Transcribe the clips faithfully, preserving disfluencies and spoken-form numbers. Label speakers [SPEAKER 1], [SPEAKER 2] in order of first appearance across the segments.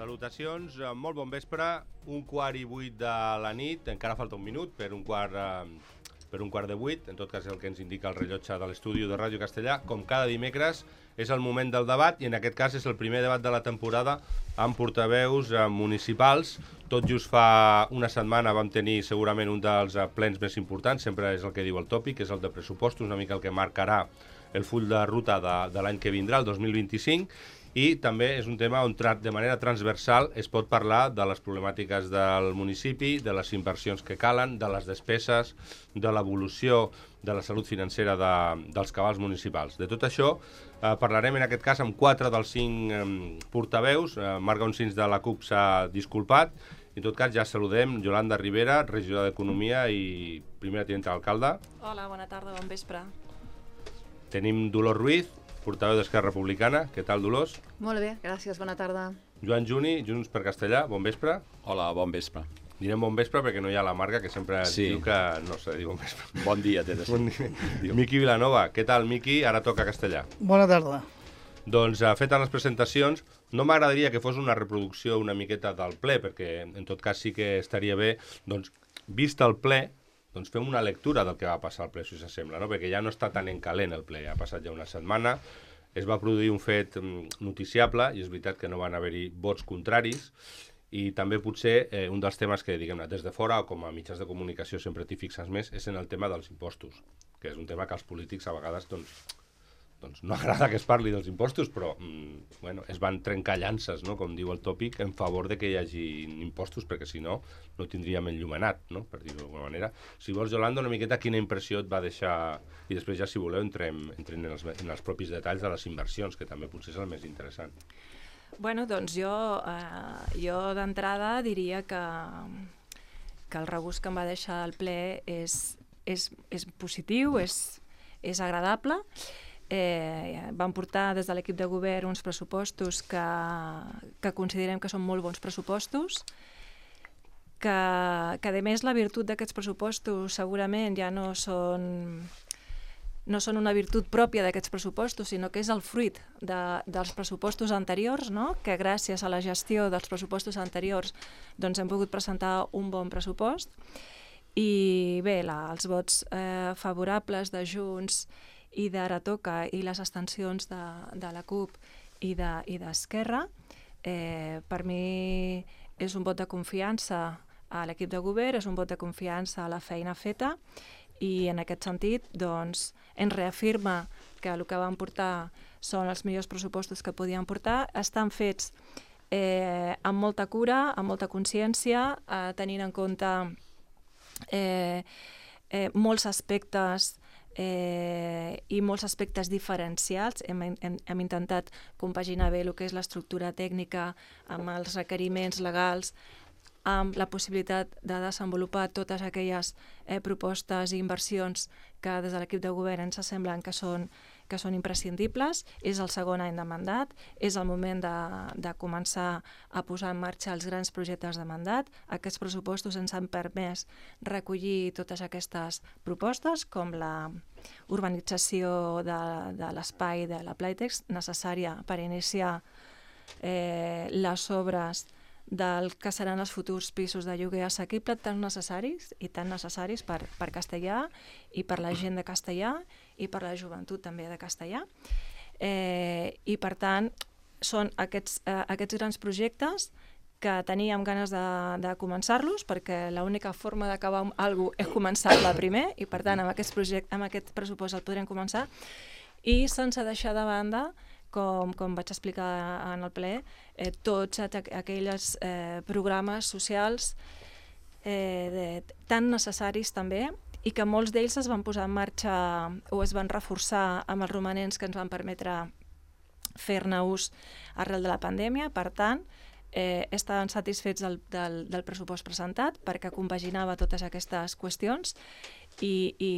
[SPEAKER 1] Salutacions, molt bon vespre, un quart i vuit de la nit, encara falta un minut per un quart, eh, per un quart de vuit, en tot cas el que ens indica el rellotge de l'estudi de Ràdio Castellà. Com cada dimecres és el moment del debat i en aquest cas és el primer debat de la temporada amb portaveus eh, municipals. Tot just fa una setmana vam tenir segurament un dels eh, plens més importants, sempre és el que diu el tòpic, és el de pressupostos, una mica el que marcarà el full de ruta de, de l'any que vindrà, el dos mil vint-i-cinc, i també és un tema on de manera transversal es pot parlar de les problemàtiques del municipi, de les inversions que calen, de les despeses, de l'evolució de la salut financera de, dels cabals municipals. De tot això eh, parlarem en aquest cas amb quatre dels cinc eh, portaveus. Eh, Marc Onsins de la C U P s'ha disculpat. En tot cas ja saludem Yolanda Rivera, regidora d'Economia i primera tinenta d'alcalde.
[SPEAKER 2] Hola, bona tarda, bon vespre.
[SPEAKER 1] Tenim Dolors Ruiz, portaveu d'Esquerra Republicana. Què tal, Dolors?
[SPEAKER 3] Molt bé, gràcies, bona tarda.
[SPEAKER 1] Joan Juni, Junts per Castellà, bon vespre.
[SPEAKER 4] Hola, bon vespre.
[SPEAKER 1] Direm bon vespre perquè no hi ha la Marga, que sempre
[SPEAKER 4] sí.
[SPEAKER 1] diu que no s'ha de dir bon vespre.
[SPEAKER 4] Bon dia, té de ser.
[SPEAKER 1] Bon dia. Miqui Vilanova, què tal, Miqui? Ara toca castellà.
[SPEAKER 5] Bona tarda.
[SPEAKER 1] Doncs, uh, fetes les presentacions, no m'agradaria que fos una reproducció una miqueta del ple, perquè en tot cas sí que estaria bé, doncs, vist el ple, doncs fem una lectura del que va passar al ple, si s'assembla, no? Perquè ja no està tan en calent el ple, ha passat ja una setmana, es va produir un fet noticiable, i és veritat que no van haver-hi vots contraris, i també potser eh, un dels temes que, diguem-ne, des de fora, com a mitjans de comunicació sempre t'hi fixes més, és en el tema dels impostos, que és un tema que als polítics a vegades, doncs, doncs no agrada que es parli dels impostos, però mm, bueno, es van trencar llances, no? Com diu el tòpic, en favor de que hi hagi impostos, perquè si no, no tindríem enllumenat, no? Per dir-ho d'alguna manera. Si vols, Yolanda, una miqueta quina impressió et va deixar, i després ja, si voleu, entrem, entrem en, els, en els propis detalls de les inversions, que també potser és el més interessant.
[SPEAKER 2] Bueno, doncs jo, eh, jo d'entrada diria que, que el regust que em va deixar el ple és, és, és positiu, és, és agradable. Eh, vam portar des de l'equip de govern uns pressupostos que, que considerem que són molt bons pressupostos, que, que a més la virtut d'aquests pressupostos segurament ja no són, no són una virtut pròpia d'aquests pressupostos, sinó que és el fruit de, dels pressupostos anteriors, no? Que gràcies a la gestió dels pressupostos anteriors doncs hem pogut presentar un bon pressupost. I bé, la, els vots eh, favorables de Junts i d'Ara Toca i les abstencions de, de la C U P i d'Esquerra, de, eh, per mi és un vot de confiança a l'equip de govern, és un vot de confiança a la feina feta i en aquest sentit doncs, ens reafirma que el que van portar són els millors pressupostos que podien portar, estan fets eh, amb molta cura, amb molta consciència, eh, tenint en compte eh, eh, molts aspectes Eh, i molts aspectes diferencials. Hem, hem, hem intentat compaginar bé el que és l'estructura tècnica amb els requeriments legals, amb la possibilitat de desenvolupar totes aquelles eh, propostes i inversions que des de l'equip de govern ens semblen que són, que són imprescindibles. És el segon any de mandat, és el moment de, de començar a posar en marxa els grans projectes de mandat. Aquests pressupostos ens han permès recollir totes aquestes propostes, com la urbanització de, de l'espai de la Playtex, necessària per iniciar eh, les obres del que seran els futurs pisos de lloguer assequible, tan necessaris i tan necessaris per, per Castellà i per la gent de Castellà i per la joventut també de Castellà. Eh, I per tant, són aquests, eh, aquests grans projectes que teníem ganes de, de començar-los, perquè l'única forma d'acabar alguna cosa és començar-la primer, i per tant amb aquest, projecte, amb aquest pressupost el podrem començar, i sense deixar de banda, com, com vaig explicar en el ple, eh, tots aquells eh, programes socials eh, de, tan necessaris també, i que molts d'ells es van posar en marxa o es van reforçar amb els romanents que ens van permetre fer-ne ús arrel de la pandèmia. Per tant, eh, estaven satisfets del, del, del pressupost presentat perquè compaginava totes aquestes qüestions i, i,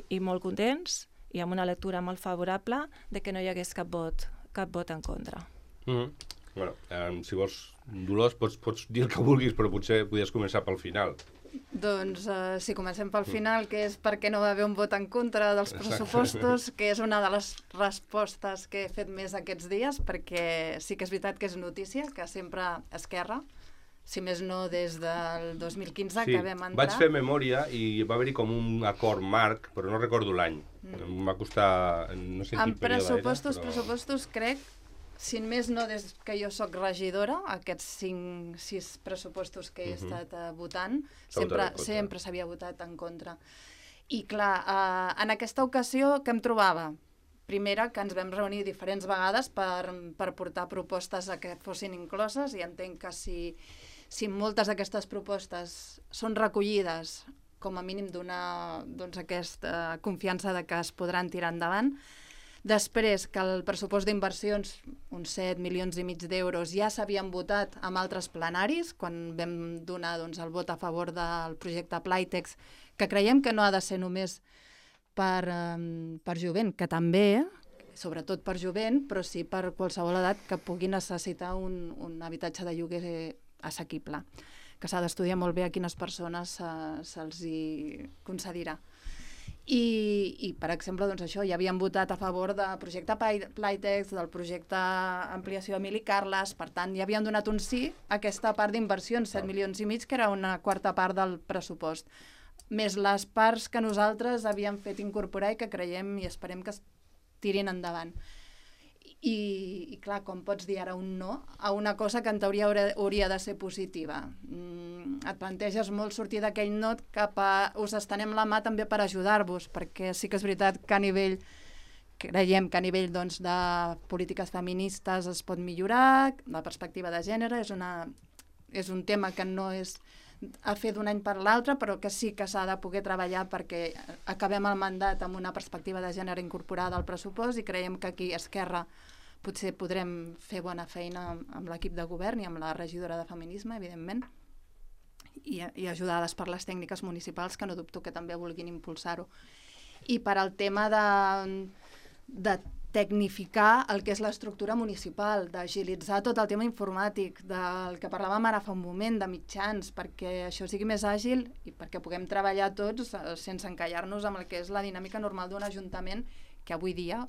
[SPEAKER 2] i molt contents i amb una lectura molt favorable de que no hi hagués cap vot, cap vot en contra.
[SPEAKER 1] Mm-hmm. Bueno, eh, si vols, Dolors, pots, pots dir el que vulguis, però potser podies començar pel final.
[SPEAKER 3] Doncs uh, si comencem pel final, que és per què no va haver un vot en contra dels pressupostos, que és una de les respostes que he fet més aquests dies, perquè sí que és veritat que és notícia, que sempre Esquerra, si més no des del dos mil quinze
[SPEAKER 1] sí,
[SPEAKER 3] que vam entrar...
[SPEAKER 1] Vaig fer memòria i va haver-hi com un acord marc, però no recordo l'any. Mm. Em va costar... No sé en quin període
[SPEAKER 3] pressupostos,
[SPEAKER 1] era, però...
[SPEAKER 3] pressupostos, crec, si més no des que jo sóc regidora, aquests cinc, sis pressupostos que he uh -huh. estat uh, votant, sempre sempre s'havia votat en contra. I clar, uh, en aquesta ocasió què em trobava? Primera, que ens vam reunir diferents vegades per, per portar propostes a que fossin incloses, i entenc que si, si moltes d'aquestes propostes són recollides, com a mínim donar doncs, aquesta confiança de que es podran tirar endavant. Després, que el pressupost d'inversions, uns set milions i mig d'euros, ja s'havien votat amb altres plenaris, quan vam donar doncs, el vot a favor del projecte Playtex, que creiem que no ha de ser només per, um, per jovent, que també, sobretot per jovent, però sí per qualsevol edat que pugui necessitar un, un habitatge de lloguer assequible, que s'ha d'estudiar molt bé a quines persones se, se'ls hi concedirà. I, i per exemple, doncs això, ja havien votat a favor del projecte Playtex, del projecte Ampliació Emili Carles, per tant, ja havien donat un sí a aquesta part d'inversions, set milions i mig, que era una quarta part del pressupost, més les parts que nosaltres havíem fet incorporar i que creiem i esperem que es tirin endavant. I, i clar, com pots dir ara un no a una cosa que en teoria hauria, hauria de ser positiva? Mm, et planteges molt sortir d'aquell no cap a us estenem la mà també per ajudar-vos, perquè sí que és veritat que a nivell, creiem que a nivell doncs, de polítiques feministes es pot millorar, la perspectiva de gènere és, una, és un tema que no és a fer d'un any per l'altre, però que sí que s'ha de poder treballar perquè acabem el mandat amb una perspectiva de gènere incorporada al pressupost, i creiem que aquí a Esquerra potser podrem fer bona feina amb, amb l'equip de govern i amb la regidora de Feminisme, evidentment, i, i ajudades per les tècniques municipals, que no dubto que també vulguin impulsar-ho. I per al tema de, de tecnificar el que és l'estructura municipal, d'agilitzar tot el tema informàtic, del que parlàvem ara fa un moment, de mitjans, perquè això sigui més àgil i perquè puguem treballar tots sense encallar-nos amb el que és la dinàmica normal d'un ajuntament, que avui dia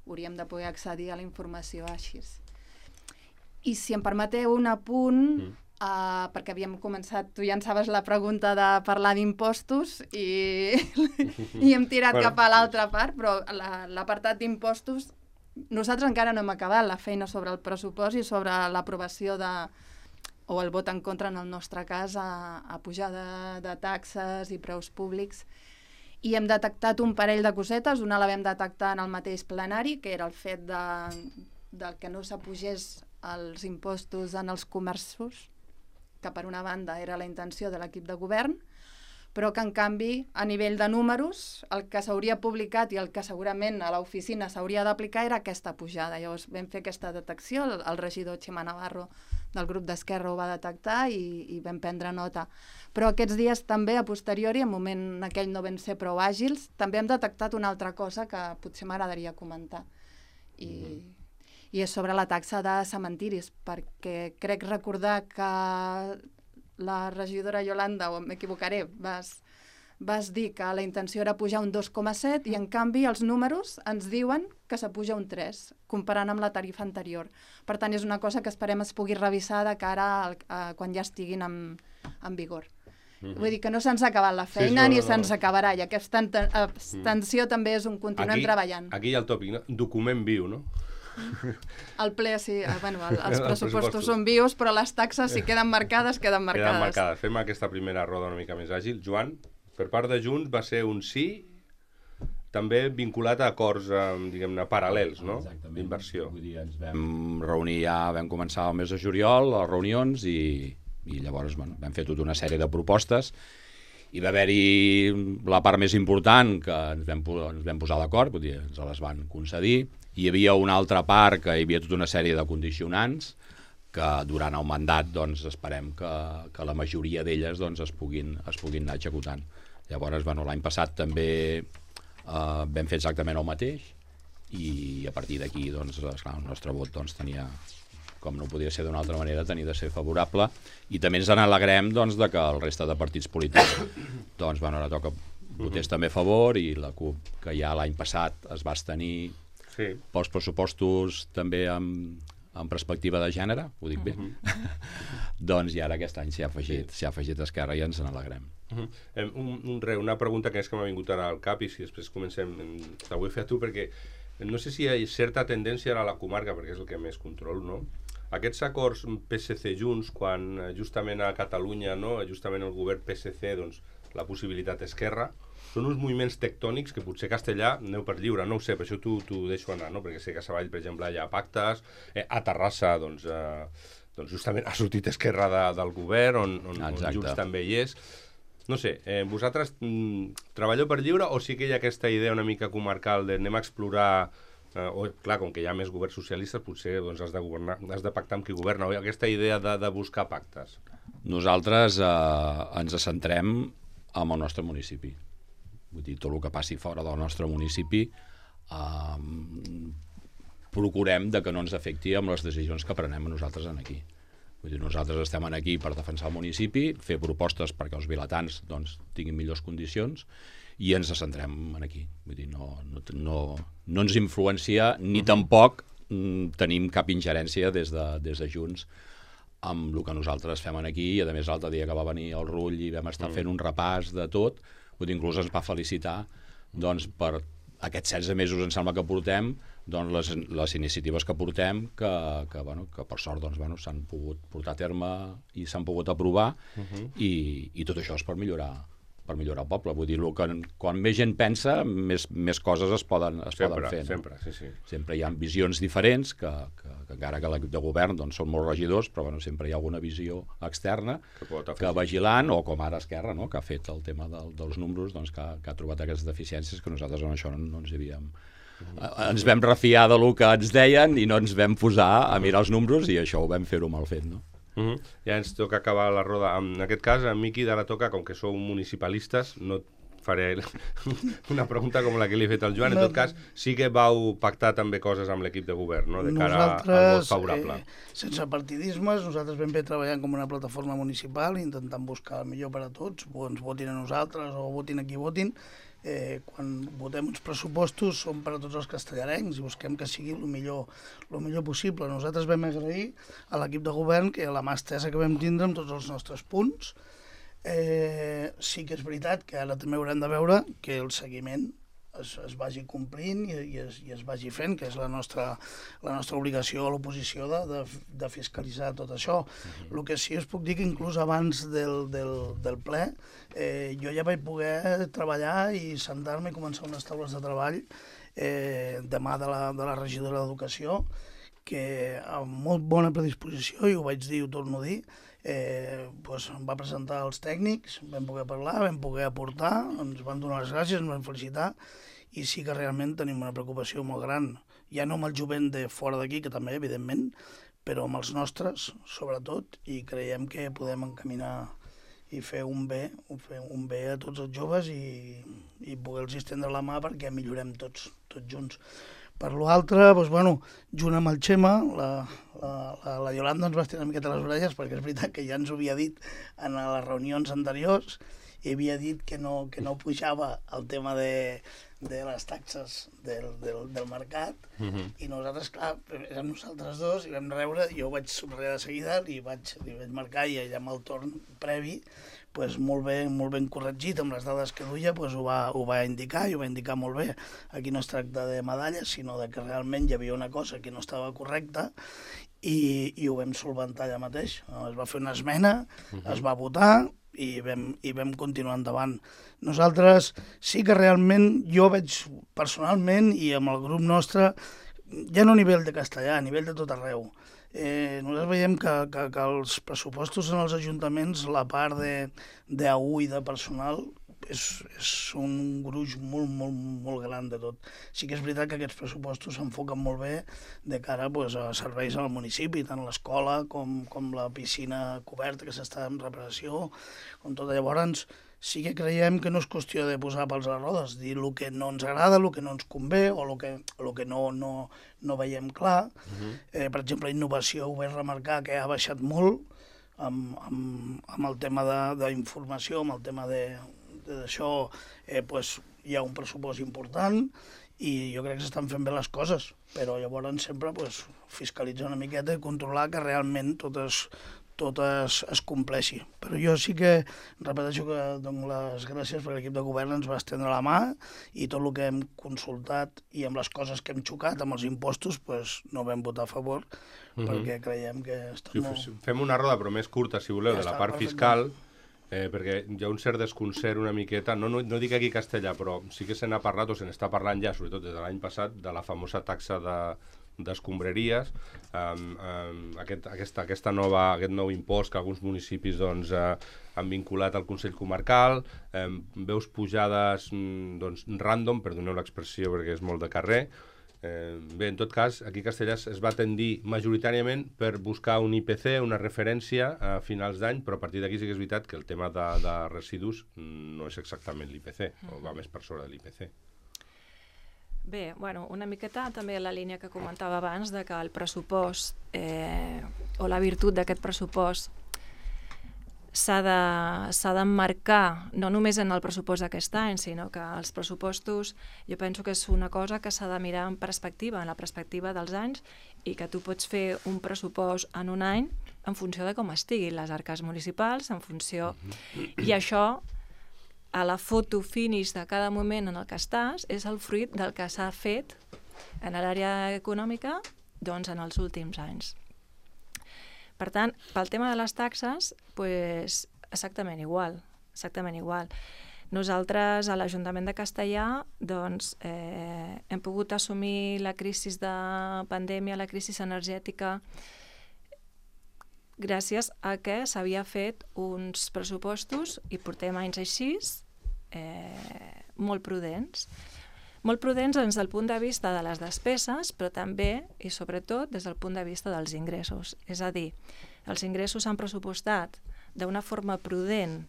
[SPEAKER 3] hauríem de poder accedir a la informació així. I si em permeteu un apunt, mm. Uh, perquè havíem començat, tu llançaves la pregunta de parlar d'impostos i, i hem tirat bueno, cap a l'altra part, però l'apartat d'impostos, nosaltres encara no hem acabat la feina sobre el pressupost i sobre l'aprovació de, o el vot en contra en el nostre cas, a, a pujar de, de taxes i preus públics. I hem detectat un parell de cosetes. Una la vam detectar en el mateix plenari, que era el fet de, de que no s'apugés els impostos en els comerços, que per una banda era la intenció de l'equip de govern, però que en canvi a nivell de números el que s'hauria publicat i el que segurament a l'oficina s'hauria d'aplicar era aquesta pujada. Llavors vam fer aquesta detecció, el, el regidor Xema Navarro del grup d'Esquerra ho va detectar i, i vam prendre nota. Però aquests dies també, a posteriori, en moment aquell no vam ser prou àgils, també hem detectat una altra cosa que potser m'agradaria comentar. I... Mm. i és sobre la taxa de cementiris, perquè crec recordar que la regidora Yolanda, o m'equivocaré, vas, vas dir que la intenció era pujar un dos coma set i en canvi els números ens diuen que s'apuja un tres, comparant amb la tarifa anterior. Per tant, és una cosa que esperem es pugui revisar de cara al, a quan ja estiguin en, en vigor. Mm-hmm. Vull dir que no se'ns ha acabat la feina, sí, no, ni no, se'ns no. acabarà, i aquesta abstenció mm. també és un continuem aquí, treballant.
[SPEAKER 1] Aquí hi ha el tòpic, no? Document viu, no?
[SPEAKER 3] El ple, sí, bueno, el, els pressupostos són vius, però les taxes, si queden marcades, queden marcades.
[SPEAKER 1] Queden marcades. Fem aquesta primera roda una mica més àgil. Joan, per part de Junts va ser un sí, també vinculat a acords, diguem-ne, paral·lels, no? D'inversió.
[SPEAKER 4] Vull dir, ens vam reunir ja, vam començar el mes de juliol, les reunions, i, i llavors bueno, vam fer tota una sèrie de propostes. Hi va haver-hi la part més important, que ens vam, ens vam posar d'acord, vull dir, ens les van concedir. Hi havia una altra part que hi havia tota una sèrie de condicionants que durant el mandat doncs, esperem que, que la majoria d'elles doncs, es, puguin, es puguin anar executant. Llavors, bueno, l'any passat també eh, vam fer exactament el mateix i a partir d'aquí doncs, esclar, el nostre vot doncs, tenia, com no podia ser d'una altra manera, tenia de ser favorable, i també ens n'alegrem doncs, de que el resta de partits polítics doncs, bueno, ara toca votés també a favor, i la CUP, que ja l'any passat es va abstenir sí. pels pressupostos també amb, amb perspectiva de gènere, ho dic bé, uh -huh. doncs i ara aquest any s'hi ha afegit, s'hi ha afegit Esquerra i ens n'alegrem.
[SPEAKER 1] Uh -huh. eh, un, un, re, una pregunta que és que m'ha vingut ara al cap, i si després comencem, la vull fer a tu, perquè no sé si hi ha certa tendència ara a la comarca, perquè és el que més control, no? Aquests acords P S C Junts, quan justament a Catalunya, no, justament el govern P S C, doncs, la possibilitat Esquerra, són uns moviments tectònics que potser Castellà aneu per lliure, no ho sé, per això t'ho deixo anar, no? Perquè sé que a Savall, per exemple, hi ha pactes, eh, a Terrassa, doncs, eh, doncs justament ha sortit Esquerra de, del govern, on, on, on Junts també hi és. No sé, eh, vosaltres mm, treballeu per lliure o sí que hi ha aquesta idea una mica comarcal de anem a explorar, eh, o clar, com que hi ha més governs socialistes, potser doncs, has de governar, has de pactar amb qui governa, o aquesta idea de, de buscar pactes?
[SPEAKER 4] Nosaltres eh, ens centrem en el nostre municipi. Vull dir, tot el que passi fora del nostre municipi eh, procurem de que no ens afecti amb les decisions que prenem nosaltres aquí. Vull dir, nosaltres estem aquí per defensar el municipi, fer propostes perquè els vilatans doncs, tinguin millors condicions, i ens centrem aquí. Vull dir, no, no, no, no ens influencia ni tampoc mm, tenim cap ingerència des de, des de Junts amb el que nosaltres fem aquí, i a més l'altre dia que va venir el Rull i vam estar fent un repàs de tot, vull dir, inclús ens va felicitar doncs, per aquests setze mesos em sembla que portem, doncs, les, les iniciatives que portem, que, que, bueno, que per sort doncs, bueno, s'han pogut portar a terme i s'han pogut aprovar, uh-huh. i, i tot això és per millorar per millorar el poble. Vull dir, que, quan més gent pensa, més, més coses es poden, es
[SPEAKER 1] sempre,
[SPEAKER 4] poden fer. No?
[SPEAKER 1] Sempre, sí, sí.
[SPEAKER 4] Sempre hi ha visions diferents, que, que, que encara que l'equip de govern doncs, són molts regidors, però bueno, sempre hi ha alguna visió externa que, que vigilant, o com ara Esquerra, no? Que ha fet el tema del, dels números, doncs, que, que ha trobat aquestes deficiències que nosaltres en això no, no ens hi havíem... Ens vam refiar de lo que ens deien i no ens vam posar a mirar els números, i això ho vam fer-ho mal fet, no?
[SPEAKER 1] Uh -huh. Ja ens toca acabar la roda. En aquest cas, en Miqui, d'ara toca, com que sou municipalistes, no faré una pregunta com la que li he fet al Joan. En tot cas, sí que vau pactar també coses amb l'equip de govern, no? De cara nosaltres, al vot favorable. Eh,
[SPEAKER 5] sense partidismes, nosaltres vam bé treballant com una plataforma municipal, intentant buscar el millor per a tots, o ens votin a nosaltres o votin a qui votin. Eh, quan votem uns pressupostos són per a tots els castellarencs i busquem que sigui el millor, el millor possible. Nosaltres vam agrair a l'equip de govern que la mà estesa que vam tindre amb tots els nostres punts. Eh, sí que és veritat que ara també haurem de veure que el seguiment es, es vagi complint i, i, es, i es vagi fent, que és la nostra, la nostra obligació a l'oposició de, de, de fiscalitzar tot això. Uh-huh. El que sí us puc dir que inclús abans del, del, del ple eh, jo ja vaig poder treballar i sentar-me i començar unes taules de treball eh, de mà de la, de la regidora d'Educació, que amb molt bona predisposició, i ho vaig dir i ho torno a dir, Eh, doncs em va presentar els tècnics, vam poder parlar, vam poder aportar, ens van donar les gràcies, ens van felicitar, i sí que realment tenim una preocupació molt gran, ja no amb el jovent de fora d'aquí, que també, evidentment, però amb els nostres, sobretot, i creiem que podem encaminar i fer un bé, fer un bé a tots els joves i, i poder-los estendre la mà perquè millorem tots, tots junts. Per l'altre, doncs, bueno, junt amb el Xema, la, la, la, la Iolanda ens va estirar una miqueta les orelles, perquè és veritat que ja ens ho havia dit en les reunions anteriors, i havia dit que no, que no pujava el tema de, de les taxes del, del, del mercat, uh-huh. I nosaltres, clar, érem nosaltres dos, i vam rebre, jo ho vaig somriure de seguida, li vaig, li vaig marcar, i allà amb el torn previ, pues molt ben, molt ben corregit amb les dades que duia, pues ho, va, ho va indicar i ho va indicar molt bé. Aquí no es tracta de medalles, sinó de que realment hi havia una cosa que no estava correcta, i, i ho vam solventar allà mateix. Es va fer una esmena, uh-huh. Es va votar i vam, i vam continuar endavant. Nosaltres sí que realment, jo veig personalment i amb el grup nostre, ja no a nivell de castellà, a nivell de tot arreu, Eh, nosaltres veiem que, que, que els pressupostos en els ajuntaments, la part d'A U i de personal és, és un gruix molt, molt, molt gran de tot. Sí que és veritat que aquests pressupostos s'enfoquen molt bé de cara pues, a serveis al municipi, tant l'escola com, com la piscina coberta que s'està en reparació, com tot. Llavors, sí que creiem que no és qüestió de posar pals a les rodes, dir el que no ens agrada, el que no ens convé o el que, el que no, no, no veiem clar. Uh-huh. eh, per exemple, innovació ho vaig remarcar que ha baixat molt amb, amb, amb el tema d'informació, amb el tema d'això, eh, pues, hi ha un pressupost important i jo crec que s'estan fent bé les coses, però llavors sempre pues, fiscalitzar una miqueta i controlar que realment tot es, tot es, es compleixi. Però jo sí que repeteixo que dono les gràcies perquè l'equip de govern ens va estendre la mà i tot el que hem consultat i amb les coses que hem xocat amb els impostos pues, no vam votar a favor uh-huh. perquè creiem que està
[SPEAKER 1] sí,
[SPEAKER 5] molt...
[SPEAKER 1] Fem una roda però més curta, si voleu, ja de la part fiscal, eh, perquè hi ha un cert desconcert una miqueta, no, no, no dic aquí castellà, però sí que se n'ha parlat o se n'està parlant ja, sobretot des de l'any passat, de la famosa taxa de d'escombraries, um, um, aquest, aquesta, aquesta nova, aquest nou impost que alguns municipis doncs, uh, han vinculat al Consell Comarcal, um, veus pujades doncs, random, perdoneu l'expressió perquè és molt de carrer. Eh, bé, en tot cas, aquí a Castellà es va tendir majoritàriament per buscar un I P C, una referència a finals d'any, però a partir d'aquí sí que és veritat que el tema de, de residus no és exactament l'I P C, o va més per sobre de l'I P C.
[SPEAKER 2] Bé, bueno, una miqueta també la línia que comentava abans de que el pressupost eh, o la virtut d'aquest pressupost s'ha d'emmarcar no només en el pressupost d'aquest any, sinó que els pressupostos jo penso que és una cosa que s'ha de mirar en perspectiva, en la perspectiva dels anys, i que tu pots fer un pressupost en un any en funció de com estiguin les arques municipals, en funció... I això, a la foto finish de cada moment en el que estàs, és el fruit del que s'ha fet en l'àrea econòmica doncs, en els últims anys. Per tant, pel tema de les taxes, pues, exactament igual, exactament igual. Nosaltres, a l'Ajuntament de Castellà, doncs, eh, hem pogut assumir la crisi de pandèmia, la crisi energètica, gràcies a que s'havia fet uns pressupostos, i portem anys així, eh, molt prudents. Molt prudents des del punt de vista de les despeses, però també, i sobretot, des del punt de vista dels ingressos. És a dir, els ingressos s'han pressupostat d'una forma prudent,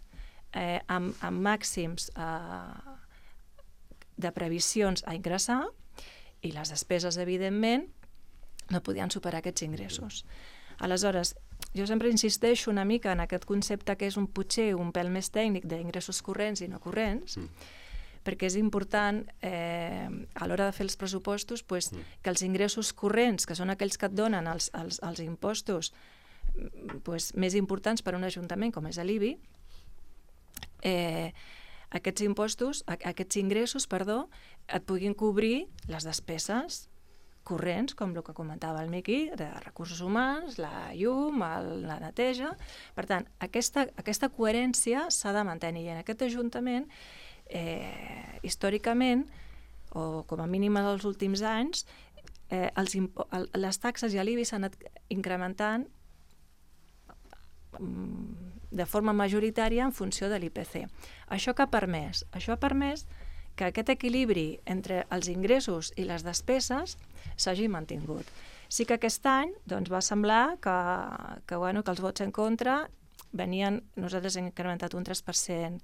[SPEAKER 2] eh, amb, amb màxims eh, de previsions a ingressar, i les despeses, evidentment, no podien superar aquests ingressos. Aleshores, jo sempre insisteixo una mica en aquest concepte que és un potser un pèl més tècnic d'ingressos corrents i no corrents, mm. perquè és important eh, a l'hora de fer els pressupostos pues, mm. que els ingressos corrents, que són aquells que et donen els, els, els impostos pues, més importants per a un ajuntament com és l'I B I, eh, aquests impostos, aquests ingressos, perdó, et puguin cobrir les despeses corrents, com el que comentava el Miqui, de recursos humans, la llum, el, la neteja. Per tant, aquesta, aquesta coherència s'ha de mantenir. I en aquest Ajuntament, eh, històricament, o com a mínim dels últims anys, eh, els el, les taxes i l'I B I s'han anat incrementant de forma majoritària en funció de l'I P C. Això que ha permès? Això ha permès que aquest equilibri entre els ingressos i les despeses s'hagi mantingut. Sí que aquest any doncs, va semblar que, que, bueno, que els vots en contra venien, nosaltres hem incrementat un tres per cent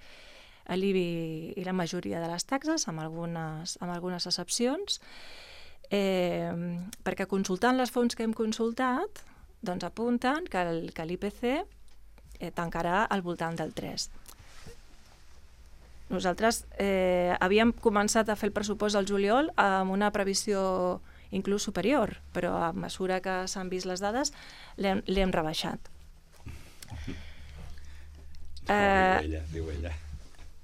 [SPEAKER 2] a l'I B I i la majoria de les taxes, amb algunes, amb algunes excepcions, eh, perquè consultant les fonts que hem consultat, doncs apunten que l'I P C eh, tancarà al voltant del tres. Nosaltres eh, havíem començat a fer el pressupost al juliol amb una previsió inclús superior, però a mesura que s'han vist les dades l'hem rebaixat.
[SPEAKER 4] Eh, diu ella, diu ella.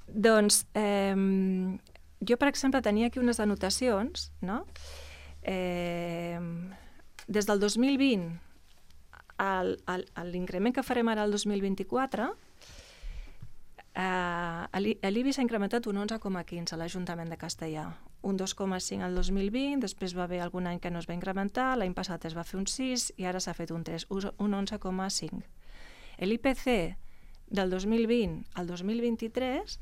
[SPEAKER 2] Doncs eh, jo, per exemple, tenia aquí unes anotacions, no? Eh, des del dos mil vint a l'increment que farem ara el dos mil vint-i-quatre, Uh, l'I B I s'ha incrementat un onze coma quinze a l'Ajuntament de Castellà, un dos coma cinc al dos mil vint, després va haver algun any que no es va incrementar, l'any passat es va fer un sis i ara s'ha fet un tres, un onze coma cinc. L'I P C del dos mil vint al dos mil vint-i-tres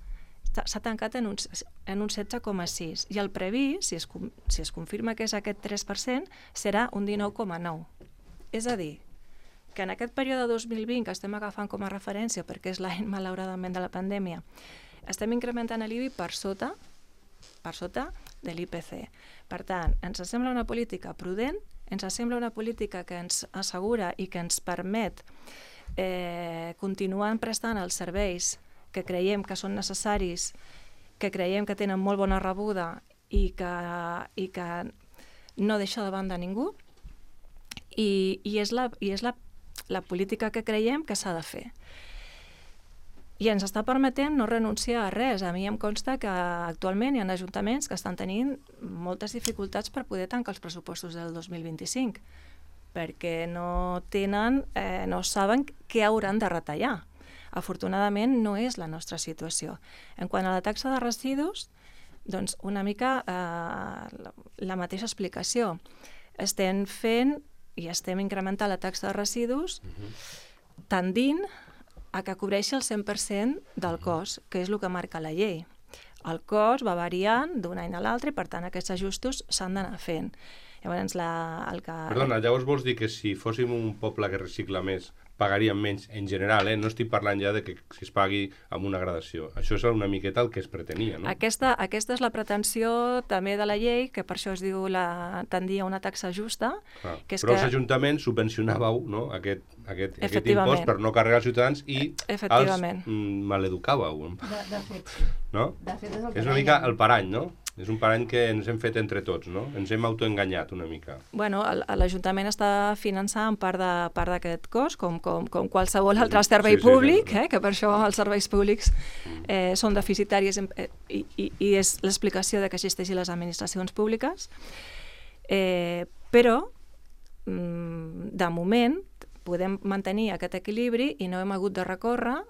[SPEAKER 2] s'ha tancat en un, en un setze coma sis i el previst, si es, si es confirma que és aquest tres per cent, serà un dinou coma nou. És a dir, que en aquest període dos mil vint, que estem agafant com a referència perquè és l'any, malauradament, de la pandèmia, estem incrementant l'I B I per sota, per sota de l'I P C. Per tant, ens sembla una política prudent, ens sembla una política que ens assegura i que ens permet eh, continuar prestant els serveis que creiem que són necessaris, que creiem que tenen molt bona rebuda i que, i que no deixa de banda ningú, i, i és, la, i és la, la política que creiem que s'ha de fer. I ens està permetent no renunciar a res. A mi em consta que actualment hi ha ajuntaments que estan tenint moltes dificultats per poder tancar els pressupostos del dos mil vint-i-cinc, perquè no tenen, eh, no saben què hauran de retallar. Afortunadament no és la nostra situació. En quant a la taxa de residus, doncs una mica eh, la, la mateixa explicació. Estem fent i estem incrementant la taxa de residus uh-huh. tendint a que cobreixi el cent per cent del cost, que és el que marca la llei. El cost va variant d'un any a l'altre i, per tant, aquests ajustos s'han d'anar fent. Llavors, la, el que...
[SPEAKER 1] Perdona, llavors vols dir que si fóssim un poble que recicla més, pagaríem menys en general, eh? No estic parlant ja de que si es pagui amb una gradació. Això és una miqueta el que es pretenia, no?
[SPEAKER 2] Aquesta, aquesta és la pretensió també de la llei, que per això es diu la, tendir a una taxa justa.
[SPEAKER 1] Ah,
[SPEAKER 2] que és
[SPEAKER 1] però
[SPEAKER 2] que...
[SPEAKER 1] els ajuntaments subvencionàveu, no? aquest, aquest, aquest impost per no carregar els ciutadans i els mm, maleducàveu.
[SPEAKER 3] De, de fet,
[SPEAKER 1] no?
[SPEAKER 3] de fet és el que
[SPEAKER 1] és una mica el parany, no? És un parany que ens hem fet entre tots, no? Ens hem autoenganyat una mica.
[SPEAKER 2] Bueno, l'Ajuntament està finançant part d'aquest cost, com, com, com qualsevol altre servei sí, sí, públic, sí, eh? Que per això els serveis públics eh, són deficitaris eh, i, i, i és l'explicació de que existeixin les administracions públiques. Eh, però, mm, de moment, podem mantenir aquest equilibri i no hem hagut de recórrer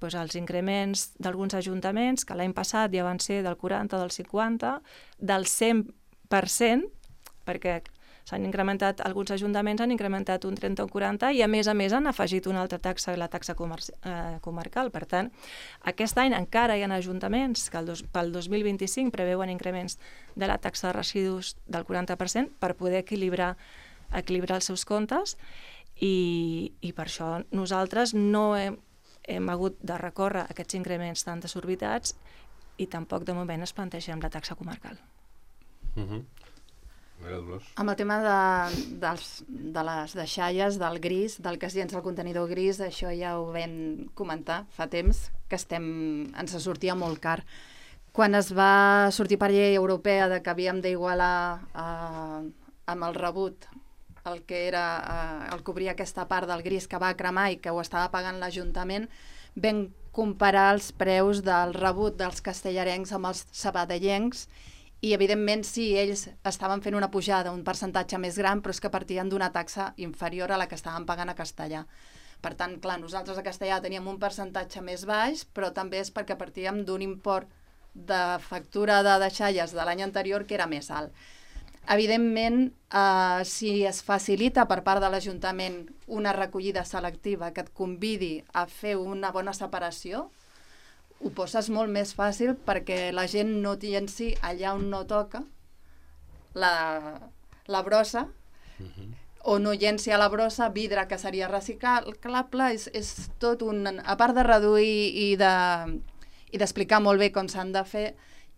[SPEAKER 2] doncs, els increments d'alguns ajuntaments, que l'any passat ja van ser del quaranta, del cinquanta, del cent per cent, perquè s'han incrementat, alguns ajuntaments han incrementat un trenta o un quaranta i a més a més han afegit una altra taxa, la taxa comerci, eh, comarcal. Per tant, aquest any encara hi ha ajuntaments que el dos, pel dos mil vint-i-cinc preveuen increments de la taxa de residus del quaranta per cent per poder equilibrar, equilibrar els seus comptes i, i per això nosaltres no hem hem hagut de recórrer aquests increments tan desorbitats i tampoc de moment es plantegem la taxa comarcal.
[SPEAKER 1] Uh-huh. Dolors.
[SPEAKER 3] Amb el tema de, dels, de les deixalles, del gris, del que es llença el contenidor gris, això ja ho vam comentar fa temps, que estem, ens sortia molt car. Quan es va sortir per llei europea de que havíem d'igualar eh, amb el rebut el que era eh, el cobrir aquesta part del gris que va cremar i que ho estava pagant l'Ajuntament, vam comparar els preus del rebut dels castellarencs amb els sabadellencs i, evidentment, sí, ells estaven fent una pujada, un percentatge més gran, però és que partien d'una taxa inferior a la que estaven pagant a Castellà. Per tant, clar, nosaltres a Castellà teníem un percentatge més baix, però també és perquè partíem d'un import de factura de deixalles de l'any anterior que era més alt. Evidentment, eh, si es facilita per part de l'Ajuntament una recollida selectiva que et convidi a fer una bona separació, ho poses molt més fàcil perquè la gent no llenci allà on no toca la, la brossa, uh-huh. o no llenci a la brossa vidre que seria reciclable. És, és tot un... A part de reduir i de, i d'explicar molt bé com s'han de fer,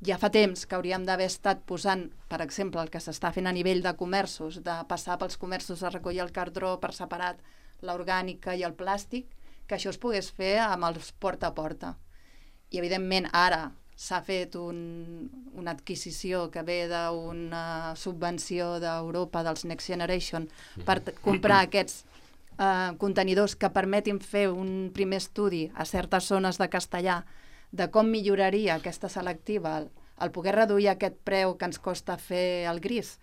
[SPEAKER 3] ja fa temps que hauríem d'haver estat posant, per exemple, el que s'està fent a nivell de comerços, de passar pels comerços a recollir el cartró per separat, l'orgànica i el plàstic, que això es pogués fer amb els porta a porta. I, evidentment, ara s'ha fet un, una adquisició que ve d'una subvenció d'Europa dels Next Generation per comprar aquests eh, contenidors que permetin fer un primer estudi a certes zones de Castellà de com milloraria aquesta selectiva el, el poder reduir aquest preu que ens costa fer el gris,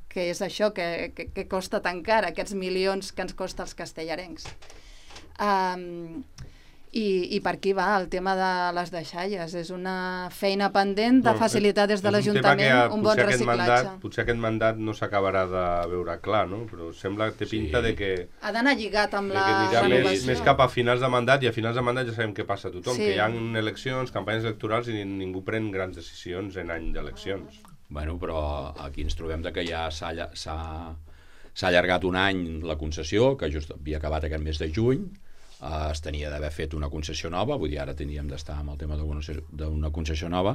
[SPEAKER 3] que és això que, que, que costa tan car, aquests milions que ens costa els castellarencs. Um, i, i per aquí va el tema de les deixalles. És una feina pendent de facilitar des de l'Ajuntament un bon reciclatge.
[SPEAKER 1] Mandat, potser aquest mandat no s'acabarà de veure clar, no? Però sembla que té pinta sí. de que...
[SPEAKER 3] Ha d'anar lligat amb la
[SPEAKER 1] renovació. Més, més cap a finals de mandat, i a finals de mandat ja sabem què passa a tothom,
[SPEAKER 3] sí.
[SPEAKER 1] que hi ha eleccions, campanyes electorals i ningú pren grans decisions en any d'eleccions.
[SPEAKER 4] Bueno, però aquí ens trobem de que ja s'ha s'ha allargat un any la concessió, que just havia acabat aquest mes de juny, Uh, es tenia d'haver fet una concessió nova, vull dir, ara teníem d'estar amb el tema d'una concessió nova,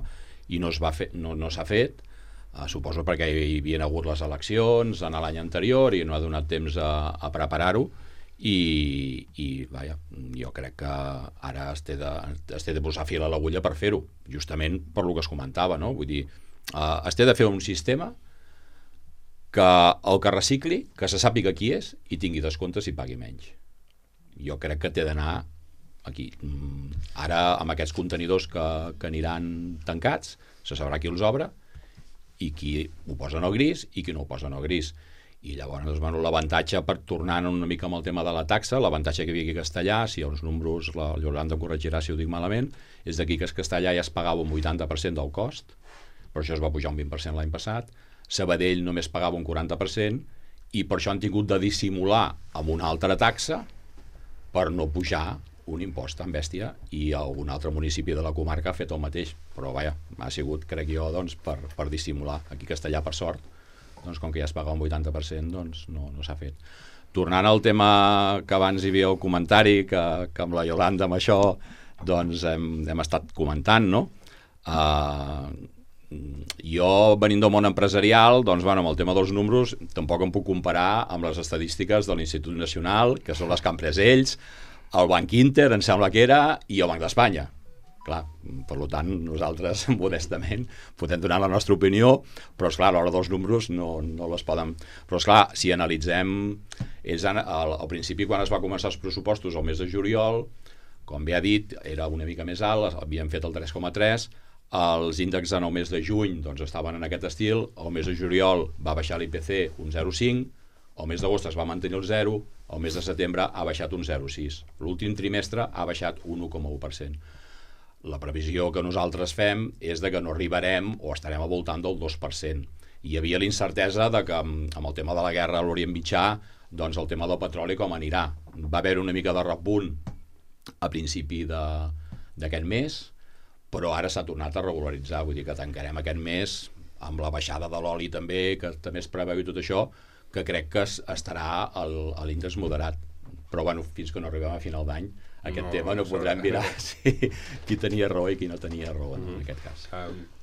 [SPEAKER 4] i no es va fer, no, no s'ha fet, uh, suposo perquè hi havien hagut les eleccions en l'any anterior i no ha donat temps a, a preparar-ho, i, i vaja, jo crec que ara es té de, es té de posar fil a l'agulla per fer-ho, justament per lo que es comentava, no? Vull dir, uh, es té de fer un sistema que el que recicli, que se sàpiga qui és i tingui descomptes i pagui menys. Jo crec que té d'anar aquí. Ara, amb aquests contenidors que, que aniran tancats, se sabrà qui els obre i qui ho posa en el gris i qui no ho posa en el gris. I llavors, doncs, bueno, l'avantatge, per tornar una mica amb el tema de la taxa, l'avantatge que hi havia aquí a Castellà, si els números, la Yolanda corregirà si ho dic malament, és d'aquí que a Castellà ja es pagava un vuitanta per cent del cost, per això es va pujar un vint per cent l'any passat, Sabadell només pagava un quaranta per cent, i per això han tingut de dissimular amb una altra taxa per no pujar un impost tan bèstia, i algun altre municipi de la comarca ha fet el mateix, però vaja, ha sigut, crec jo, doncs, per, per dissimular. Aquí a Castellà, per sort, doncs, com que ja es paga un vuitanta per cent, doncs no, no s'ha fet. Tornant al tema que abans hi havia el comentari, que, que amb la Yolanda, amb això, doncs hem, hem estat comentant, no? Uh, jo, venint del món empresarial, doncs, bueno, amb el tema dels números tampoc em puc comparar amb les estadístiques de l'Institut Nacional, que són les que han pres ells, el Banc Inter, em sembla que era, i el Banc d'Espanya. Clar, per tant, nosaltres, modestament, podem donar la nostra opinió, però, esclar, a l'hora dels números no, no les poden... Però, esclar, si analitzem... Ells, al, al principi, quan es va començar els pressupostos al mes de juliol, com bé ha dit, era una mica més alt, havien fet el tres coma tres, els índexs en el mes de juny doncs, estaven en aquest estil, el mes de juliol va baixar l'I P C un zero coma cinc, el mes d'agost es va mantenir el zero, el mes de setembre ha baixat un zero coma sis. L'últim trimestre ha baixat un u coma u per cent. La previsió que nosaltres fem és de que no arribarem o estarem al voltant del dos per cent. Hi havia l'incertesa de que amb el tema de la guerra a l'Orient Mitjà, doncs el tema del petroli com anirà. Va haver una mica de repunt a principi d'aquest mes, però ara s'ha tornat a regularitzar, vull dir que tancarem aquest mes amb la baixada de l'oli també, que també es preveu i tot això, que crec que estarà a l'índex moderat. Però bueno, fins que no arribem a final d'any, aquest no, tema no podrem mirar si, qui tenia raó i qui no tenia raó en, mm. en aquest cas.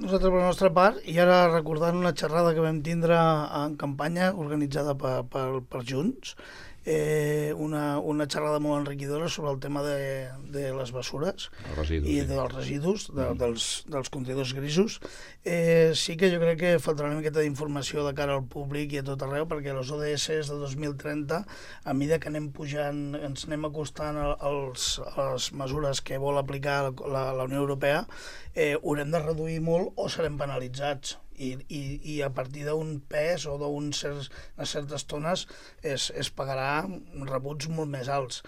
[SPEAKER 5] Nosaltres, per la nostra part, i ara recordant una xerrada que vam tindre en campanya organitzada per, per, per Junts, eh, una, una xerrada molt enriquidora sobre el tema de, de les bessures
[SPEAKER 4] residus,
[SPEAKER 5] i
[SPEAKER 4] sí.
[SPEAKER 5] dels residus, de, mm. dels, dels contenidors grisos. Eh, sí que jo crec que faltarà una miqueta d'informació de cara al públic i a tot arreu, perquè les O D S de dos mil trenta, a mesura que anem pujant, ens anem acostant als, a les mesures que vol aplicar la, la Unió Europea, eh, haurem de reduir molt o serem penalitzats. I, i, i a partir d'un pes o d'unes certs, certes tones es, es pagarà rebuts molt més alts.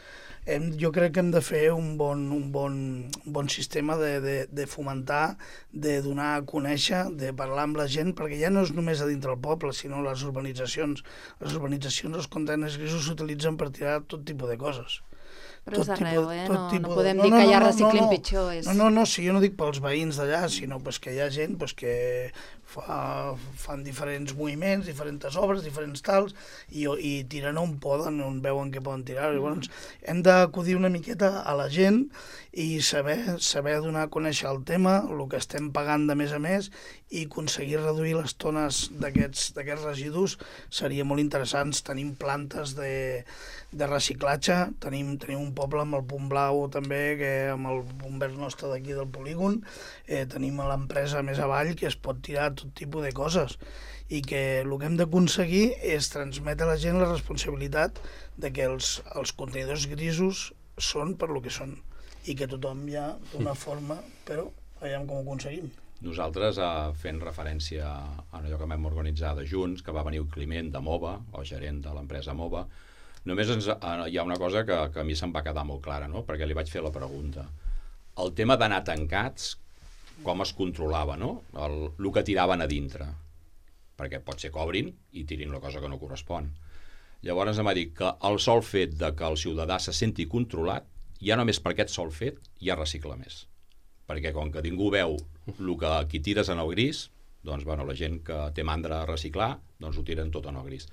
[SPEAKER 5] Hem, jo crec que hem de fer un bon, un bon, un bon sistema de, de, de fomentar, de donar a conèixer, de parlar amb la gent, perquè ja no és només a dintre del poble, sinó les urbanitzacions. Les urbanitzacions, els contenidors grisos s'utilitzen per tirar tot tipus de coses.
[SPEAKER 3] Però és arreu, eh? No, no podem dir que allà reciclin pitjor.
[SPEAKER 5] No, no, no, sí, jo no dic pels veïns d'allà, sinó pues, que hi ha gent pues, que fa, fan diferents moviments, diferents obres, diferents tals, i, i tiren on poden, on veuen que poden tirar. Llavors, hem d'acudir una miqueta a la gent i saber, saber donar a conèixer el tema, el que estem pagant de més a més, i aconseguir reduir les tones d'aquests residus seria molt interessant. Tenim plantes de, de reciclatge, tenim, tenim un poble amb el Punt Blau també, que amb el bomber nostre d'aquí del polígon, eh, tenim l'empresa més avall que es pot tirar tot tipus de coses, i que el que hem d'aconseguir és transmetre a la gent la responsabilitat de que els, els contenidors grisos són per lo que són, i que tothom ja d'una forma, però veiem com ho aconseguim.
[SPEAKER 4] Nosaltres, eh, fent referència a allò que vam organitzar de Junts, que va venir el Climent de Mova, el gerent de l'empresa Mova, només ens, eh, hi ha una cosa que, que a mi se'm va quedar molt clara, no? Perquè li vaig fer la pregunta. El tema d'anar tancats, com es controlava, no? El, el que tiraven a dintre. Perquè pot ser que obrin i tirin la cosa que no correspon. Llavors em va dir que el sol fet de que el ciutadà se senti controlat, ja només per aquest sol fet ja recicla més. Perquè com que ningú veu el que aquí tires en el gris, doncs bueno, la gent que té mandra a reciclar, doncs ho tiren tot en el gris.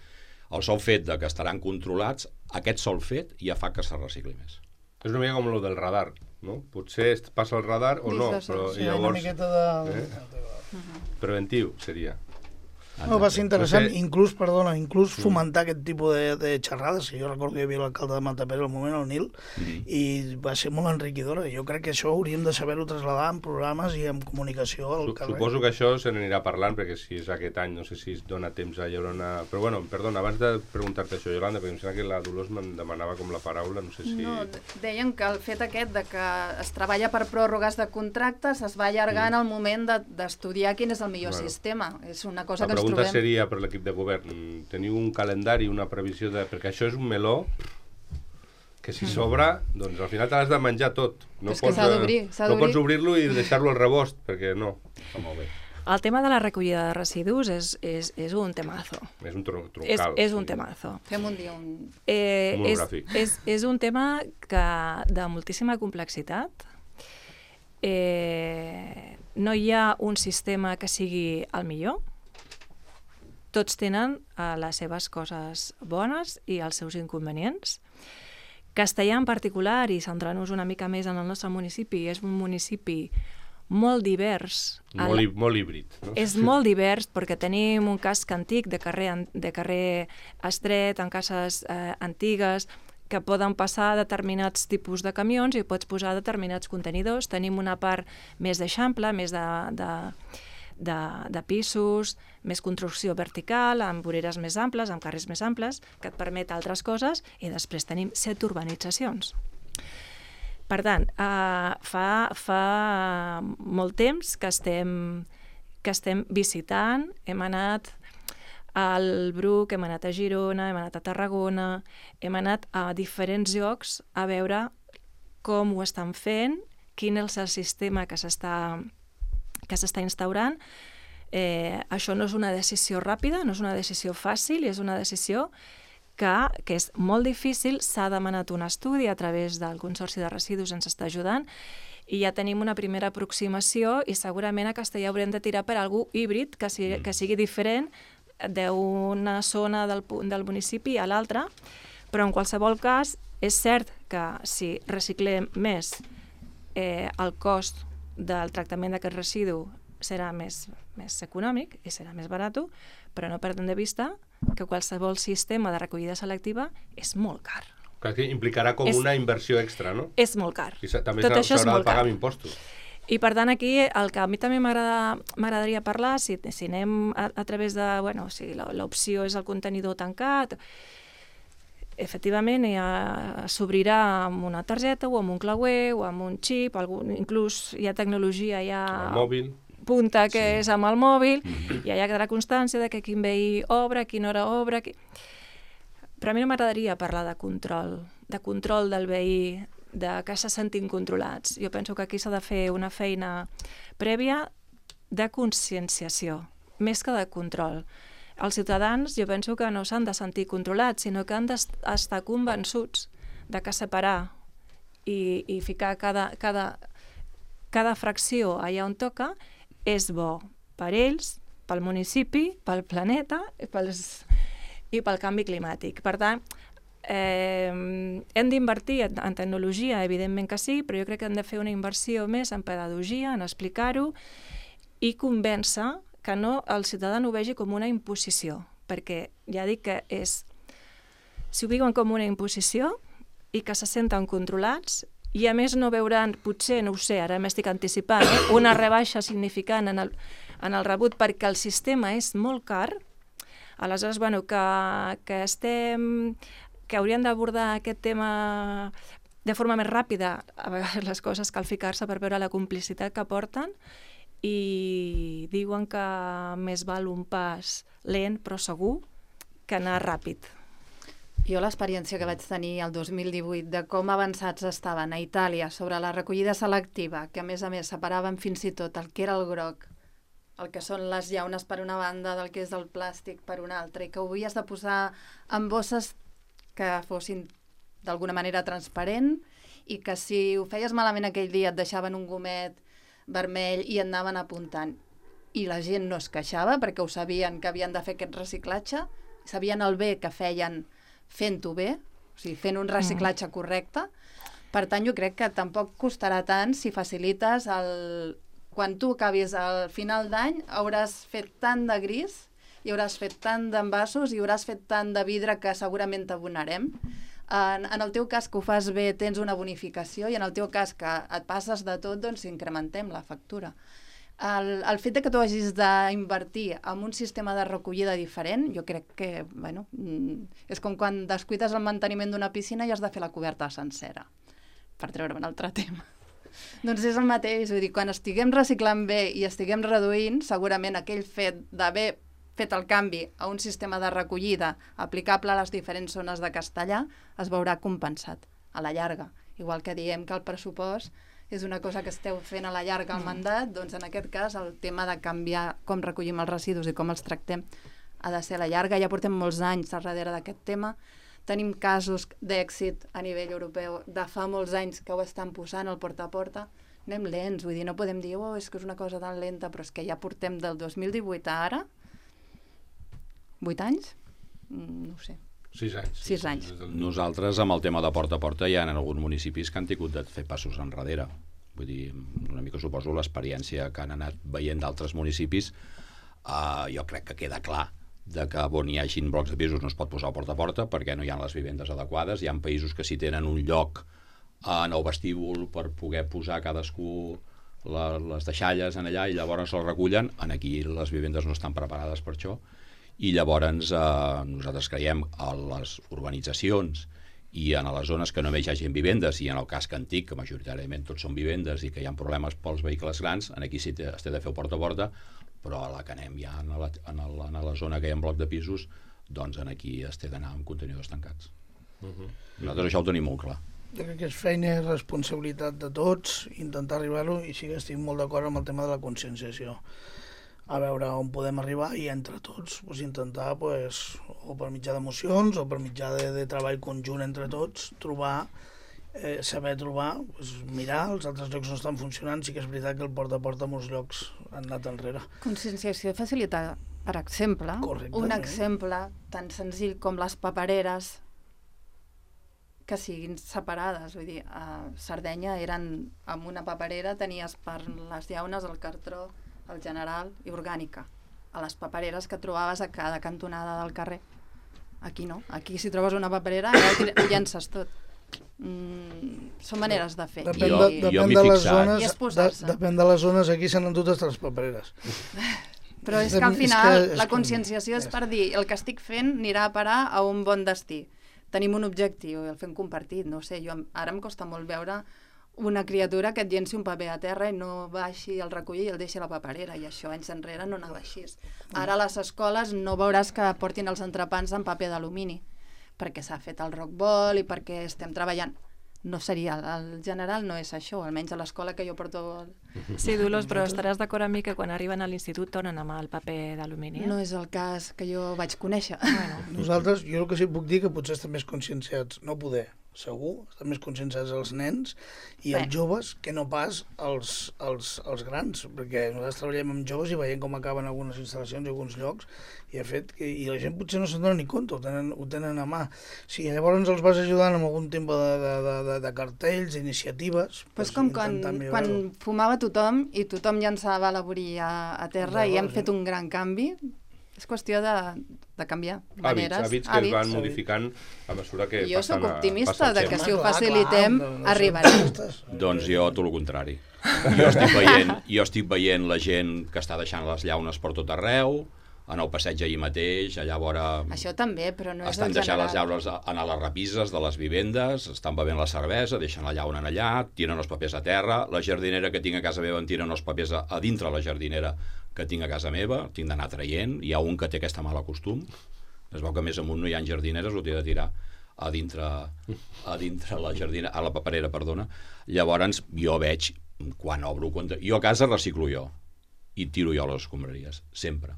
[SPEAKER 4] El sol fet de que estaran controlats, aquest sol fet ja fa que se recicli més.
[SPEAKER 1] És una mica com el del radar, no? Potser passa el radar o no, però
[SPEAKER 5] sí,
[SPEAKER 1] llavors...
[SPEAKER 5] una miqueta de...
[SPEAKER 1] Eh? Preventiu seria.
[SPEAKER 5] No, va ser interessant, no sé... inclús, perdona, inclús mm. fomentar aquest tipus de, de xerrades. Jo recordo que hi havia l'alcalde de Matapera al moment, el Nil, mm. i va ser molt enriquidora. Jo crec que això hauríem de saber-ho traslladar en programes i en comunicació al carrer.
[SPEAKER 1] Suposo que això se n'anirà parlant, perquè si és aquest any, no sé si es dona temps a llaurar una... Però bueno, perdona, abans de preguntar-te això, Yolanda, perquè em sembla que la Dolors me'n demanava com la paraula, no sé si...
[SPEAKER 3] No, deien que el fet aquest de que es treballa per pròrrogues de contractes es va allargant mm. el moment d'estudiar de, quin és el millor bueno. sistema. És una cosa
[SPEAKER 1] la
[SPEAKER 3] que ens trobem...
[SPEAKER 1] La pregunta seria per l'equip de govern, teniu un calendari, una previsió de... Perquè això és un meló que si sobra, doncs al final t'has de menjar tot. No
[SPEAKER 3] és pots, que s'ha d'obrir.
[SPEAKER 1] No pots obrir-lo i deixar-lo al rebost, perquè no. Està molt bé.
[SPEAKER 2] El tema de la recollida de residus és, és, és un temazo.
[SPEAKER 1] És un tron troncal.
[SPEAKER 2] És, és un temazo.
[SPEAKER 3] Fem un dia un...
[SPEAKER 2] Eh, és, és, és un tema que, de moltíssima complexitat. Eh, no hi ha un sistema que sigui el millor. Tots tenen uh, les seves coses bones i els seus inconvenients. Castellà en particular, i centrant-nos una mica més en el nostre municipi, és un municipi molt divers.
[SPEAKER 1] Molt, el... molt híbrid. No?
[SPEAKER 2] És molt divers perquè tenim un casc antic de carrer, de carrer estret, en cases eh, antigues, que poden passar determinats tipus de camions i pots posar determinats contenidors. Tenim una part més d'eixample, més de... de De, de pisos, més construcció vertical, amb voreres més amples, amb carrers més amples, que et permet altres coses, i després tenim set urbanitzacions. Per tant, eh, fa, fa molt temps que estem, que estem visitant, hem anat al Bruc, hem anat a Girona, hem anat a Tarragona, hem anat a diferents llocs a veure com ho estan fent, quin és el sistema que s'està que s'està instaurant. Eh, això no és una decisió ràpida, no és una decisió fàcil, és una decisió que, que és molt difícil. S'ha demanat un estudi a través del Consorci de Residus, ens està ajudant, i ja tenim una primera aproximació i segurament a Castellà haurem de tirar per algú híbrid que sigui, que sigui diferent d'una zona del, del municipi a l'altra, però en qualsevol cas és cert que si reciclem més, eh, el cost del tractament d'aquest residu serà més, més econòmic i serà més barat, però no perdem de vista que qualsevol sistema de recollida selectiva és molt car.
[SPEAKER 1] Que implicarà com és, una inversió extra, no?
[SPEAKER 2] És molt car.
[SPEAKER 1] I també s'haurà de pagar amb impostos.
[SPEAKER 2] I per tant aquí el que a mi també m'agradaria parlar, si, si anem a, a través de, bueno, si l'opció és el contenidor tancat, efectivament s'obrirà amb una targeta o amb un clauer o amb un xip, algun, inclús hi ha tecnologia ja
[SPEAKER 1] el mòbil.
[SPEAKER 2] Punta que sí. És amb el mòbil,
[SPEAKER 1] mm-hmm.
[SPEAKER 2] i allà quedarà constància de que quin veí obre, a quina hora obre... Qui... Però a mi no m'agradaria parlar de control, de control del veí, de que se sentin controlats. Jo penso que aquí s'ha de fer una feina prèvia de conscienciació, més que de control. Els ciutadans, jo penso que no s'han de sentir controlats, sinó que han d'estar convençuts de que separar i, i ficar cada, cada, cada fracció allà on toca és bo per ells, pel municipi, pel planeta i, pels, i pel canvi climàtic. Per tant, eh, hem d'invertir en, en tecnologia, evidentment que sí, però jo crec que hem de fer una inversió més en pedagogia, en explicar-ho i convèncer que no el ciutadà no ho vegi com una imposició, perquè ja dic que és... Si ho viuen com una imposició i que se senten controlats, i a més no veuran, potser, no ho sé, ara m'estic anticipant, eh, una rebaixa significant en el, en el rebut perquè el sistema és molt car, aleshores, bueno, que, que estem... que hauríem d'abordar aquest tema de forma més ràpida, a vegades les coses cal ficar-se per veure la complicitat que porten, i diuen que més val un pas lent però segur que anar ràpid.
[SPEAKER 3] Jo l'experiència que vaig tenir el dos mil divuit de com avançats estaven a Itàlia sobre la recollida selectiva, que a més a més separaven fins i tot el que era el groc, el que són les llaunes per una banda, del que és el plàstic per una altra, i que ho havies de posar en bosses que fossin d'alguna manera transparent, i que si ho feies malament aquell dia et deixaven un gomet vermell i anaven apuntant. I la gent no es queixava perquè ho sabien que havien de fer aquest reciclatge, sabien el bé que feien fent-ho bé, o sigui, fent un reciclatge correcte, Per tant, jo crec que tampoc costarà tant si facilites el... Quan tu acabis al final d'any hauràs fet tant de gris i hauràs fet tant d'envasos i hauràs fet tant de vidre que segurament t'abonarem. En, en el teu cas que ho fas bé tens una bonificació i en el teu cas que et passes de tot, doncs incrementem la factura. El, el fet de que tu hagis d'invertir en un sistema de recollida diferent, jo crec que, bueno, és com quan descuides el manteniment d'una piscina i has de fer la coberta sencera, per treure un altre tema. Doncs és el mateix, vull dir, quan estiguem reciclant bé i estiguem reduint, segurament aquell fet d'haver fet el canvi a un sistema de recollida aplicable a les diferents zones de Castellar es veurà compensat a la llarga. Igual que diem que el pressupost és una cosa que esteu fent a la llarga al mandat, doncs en aquest cas el tema de canviar com recollim els residus i com els tractem ha de ser a la llarga. Ja portem molts anys darrere d'aquest tema. Tenim casos d'èxit a nivell europeu de fa molts anys que ho estan posant al porta a porta. Anem lents, vull dir, no podem dir oh, és que és una cosa tan lenta, però és que ja portem del dos mil divuit a ara vuit anys? No ho sé.
[SPEAKER 1] Sis anys.
[SPEAKER 3] Sis anys.
[SPEAKER 4] Nosaltres, amb el tema de porta a porta, hi ha en alguns municipis que han tingut de fer passos enrere. Vull dir, una mica suposo l'experiència que han anat veient d'altres municipis, uh, jo crec que queda clar de que on hi hagin blocs de pisos no es pot posar porta a porta perquè no hi ha les vivendes adequades. Hi ha països que si tenen un lloc en el vestíbul per poder posar cadascú la, les deixalles en allà i llavors el recullen. En aquí les vivendes no estan preparades per això. I llavors eh, nosaltres creiem a les urbanitzacions i en les zones que només hi hagi vivendes i en el casc antic, que majoritàriament tots són vivendes i que hi ha problemes pels vehicles grans, en aquí sí té, es té de fer porta a porta, però a la que anem ja en la, en la, en la zona que hi ha bloc de pisos, doncs en aquí es té d'anar amb contenidors tancats. Uh-huh. Nosaltres això ho tenim molt clar.
[SPEAKER 5] Jo crec que és feina i responsabilitat de tots intentar arribar-ho i sí que estic molt d'acord amb el tema de la conscienciació. A veure on podem arribar i entre tots pues, intentar, pues, o per mitjà d'emocions o per mitjà de, de treball conjunt entre tots, trobar, eh, saber trobar, pues, mirar, els altres llocs no estan funcionant, sí que és veritat que el porta a porta a molts llocs han anat enrere.
[SPEAKER 3] Conscienciació facilita, per exemple, un exemple tan senzill com les papereres que siguin separades, vull dir, a Sardenya eren, amb una paperera tenies per les llaunes el cartró, el general i orgànica, a les papereres que trobaves a cada cantonada del carrer. Aquí no, aquí si trobes una paperera ja ho llences tot. Mm, són maneres de fer.
[SPEAKER 5] Depèn de,
[SPEAKER 3] I,
[SPEAKER 5] depèn de les zones,
[SPEAKER 3] de,
[SPEAKER 5] depèn de les zones, aquí s'han endut totes les papereres.
[SPEAKER 3] Però és que al final és que, la conscienciació és per dir el que estic fent anirà a parar a un bon destí. Tenim un objectiu i el fem compartit, no sé, jo ara em costa molt veure una criatura que et llenci un paper a terra i no baixi el recollir i el deixi a la paperera, i això anys enrere no anava així. Ara a les escoles no veuràs que portin els entrepans en paper d'alumini, perquè s'ha fet el rockball i perquè estem treballant. No seria, el general no és això, almenys a l'escola que jo porto...
[SPEAKER 2] Sí, Dolors, però estaràs d'acord amb mi que quan arriben a l'institut tornen amb el paper d'alumini?
[SPEAKER 3] No és el cas que jo vaig conèixer.
[SPEAKER 2] Bueno.
[SPEAKER 5] Nosaltres, jo el que sí puc dir que potser estem més conscienciats, no poder, segur, estan més conscienciats els nens i els joves que no pas els, els, els grans, perquè nosaltres treballem amb joves i veiem com acaben algunes instal·lacions i alguns llocs i, de fet, que, i la gent potser no se'n dona ni compte, ho tenen, ho tenen a mà. Si llavors els vas ajudant amb algun tipus de, de, de, de cartells, d'iniciatives...
[SPEAKER 3] Pues, pues com quan, quan fumava tothom i tothom llançava la boria a terra i hem fet un gran canvi. És qüestió de, de canviar maneres.
[SPEAKER 1] Hàbits, hàbits que hàbits. Es van modificant a mesura que
[SPEAKER 3] jo
[SPEAKER 1] passen
[SPEAKER 3] soc optimista de que si ho
[SPEAKER 5] clar,
[SPEAKER 3] facilitem
[SPEAKER 5] clar, no, no
[SPEAKER 3] arribarem.
[SPEAKER 4] Doncs jo tot el contrari. Jo estic, veient, jo estic veient la gent que està deixant les llaunes per tot arreu, en el passeig ahir mateix, allà vora...
[SPEAKER 3] Això també, però no és
[SPEAKER 4] estan
[SPEAKER 3] el
[SPEAKER 4] deixant
[SPEAKER 3] general.
[SPEAKER 4] les llaunes a, a les repises de les vivendes, estan bevent la cervesa, deixen la llauna allà, tiren els papers a terra, la jardinera que tinc a casa meva en tiren els papers a, a dintre la jardinera que tinc a casa meva, tinc d'anar traient, hi ha un que té aquesta mala costum, es veu que més amunt no hi ha jardineres, ho té de tirar a dintre, a dintre la jardinera, a la paperera, perdona. Llavors jo veig, quan obro compte, jo a casa reciclo jo, i tiro jo les escombraries, sempre.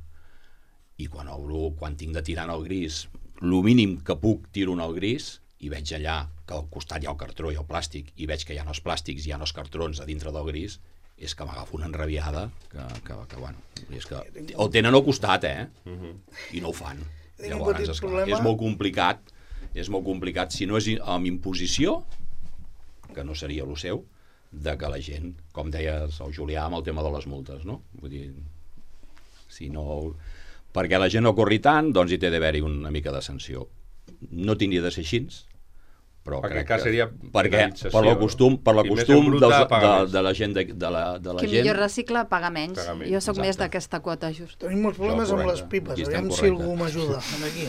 [SPEAKER 4] I quan obro, quan tinc de tirar en el gris, el mínim que puc tiro en el gris, i veig allà que al costat hi ha el cartró i el plàstic, i veig que hi ha els plàstics, hi ha els cartrons a dintre del gris, és que m'agafo una enrabiada que, que, que bueno, és que el tenen al costat, eh? Uh-huh. I no ho fan. Llavors, esclar, és molt complicat, és molt complicat. Si no és amb imposició, que no seria el seu, de que la gent, com deies el Julià amb el tema de les multes, no? Vull dir, si no... Perquè la gent no corri tant, doncs hi té d'haver-hi una mica de sanció. No tindria de ser així, però
[SPEAKER 1] perquè
[SPEAKER 4] crec que...
[SPEAKER 1] seria
[SPEAKER 4] perquè per la costum, per la costum dels, de, de la gent... De, de la, de la
[SPEAKER 3] Qui
[SPEAKER 4] gent...
[SPEAKER 3] millor recicla paga menys.
[SPEAKER 1] Paga menys.
[SPEAKER 3] Jo sóc
[SPEAKER 4] Exacte.
[SPEAKER 3] més d'aquesta quota just.
[SPEAKER 5] Tenim molts problemes amb les pipes.
[SPEAKER 4] Aquí estem
[SPEAKER 5] Aviam si
[SPEAKER 4] correcte.
[SPEAKER 5] algú m'ajuda. Aquí.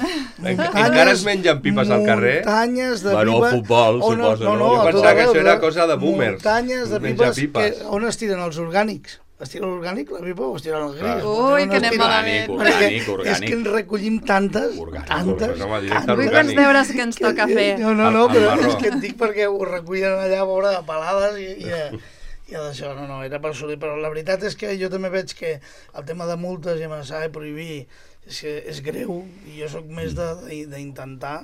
[SPEAKER 1] Encara es mengen pipes al carrer?
[SPEAKER 5] Muntanyes de
[SPEAKER 4] Bueno,
[SPEAKER 5] pipes...
[SPEAKER 4] futbol,
[SPEAKER 5] on-
[SPEAKER 4] suposo,
[SPEAKER 5] no?
[SPEAKER 4] no?
[SPEAKER 5] No,
[SPEAKER 1] Jo
[SPEAKER 5] a
[SPEAKER 1] pensava
[SPEAKER 5] tot
[SPEAKER 1] que això
[SPEAKER 5] arreu,
[SPEAKER 1] era
[SPEAKER 5] de-
[SPEAKER 1] cosa de boomers,
[SPEAKER 5] Muntanyes de
[SPEAKER 1] menjar
[SPEAKER 5] pipes. Que,
[SPEAKER 1] pipes.
[SPEAKER 5] on es tiren els orgànics? Es tira l'orgànic, la pipa, o es tira el gris?
[SPEAKER 1] Clar.
[SPEAKER 3] Ui, que anem
[SPEAKER 5] tira-
[SPEAKER 3] malament.
[SPEAKER 4] Orgànic,
[SPEAKER 5] Perquè
[SPEAKER 4] orgànic, orgànic.
[SPEAKER 5] és que en recollim tantes,
[SPEAKER 4] Orgànic,
[SPEAKER 5] tantes,
[SPEAKER 1] Pues home, directe
[SPEAKER 5] tantes.
[SPEAKER 1] al
[SPEAKER 3] Vull
[SPEAKER 1] orgànic.
[SPEAKER 3] quants deures que ens toca fer.
[SPEAKER 5] No, no, no,
[SPEAKER 1] Al- al
[SPEAKER 5] però
[SPEAKER 1] marró.
[SPEAKER 5] és que et dic perquè ho recullen allà a veure de pelades i, i, i d'això, no, no, era per assolir. Però la veritat és que jo també veig que el tema de multes i amenaçar i prohibir és, que és greu i jo sóc més de- de- d'intentar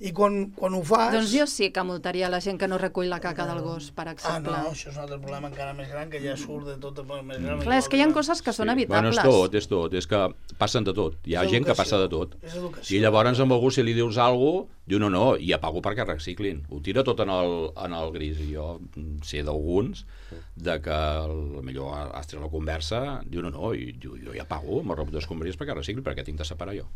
[SPEAKER 5] i quan, quan ho fas...
[SPEAKER 3] Doncs jo sí que multaria la gent que no recull la caca del gos, per
[SPEAKER 5] Ah,
[SPEAKER 3] exemple.
[SPEAKER 5] no, això és un altre problema encara més gran, que ja surt de tot el més gran.
[SPEAKER 3] Clar, és que hi ha coses que són
[SPEAKER 4] Bueno,
[SPEAKER 3] evitables.
[SPEAKER 4] és tot, és tot, és que passen de tot. Hi ha
[SPEAKER 5] És
[SPEAKER 4] gent que
[SPEAKER 5] educació.
[SPEAKER 4] passa de tot.
[SPEAKER 5] És educació.
[SPEAKER 4] I llavors amb algú, si li dius alguna cosa, diu no, no, i apago perquè reciclin. Ho tira tot en el, en el gris. I jo mm, sé d'alguns de que potser has tret la conversa, diu no, no, i jo, jo ja pago amb el rebut d'escombraries perquè recicli, perquè tinc de separar jo.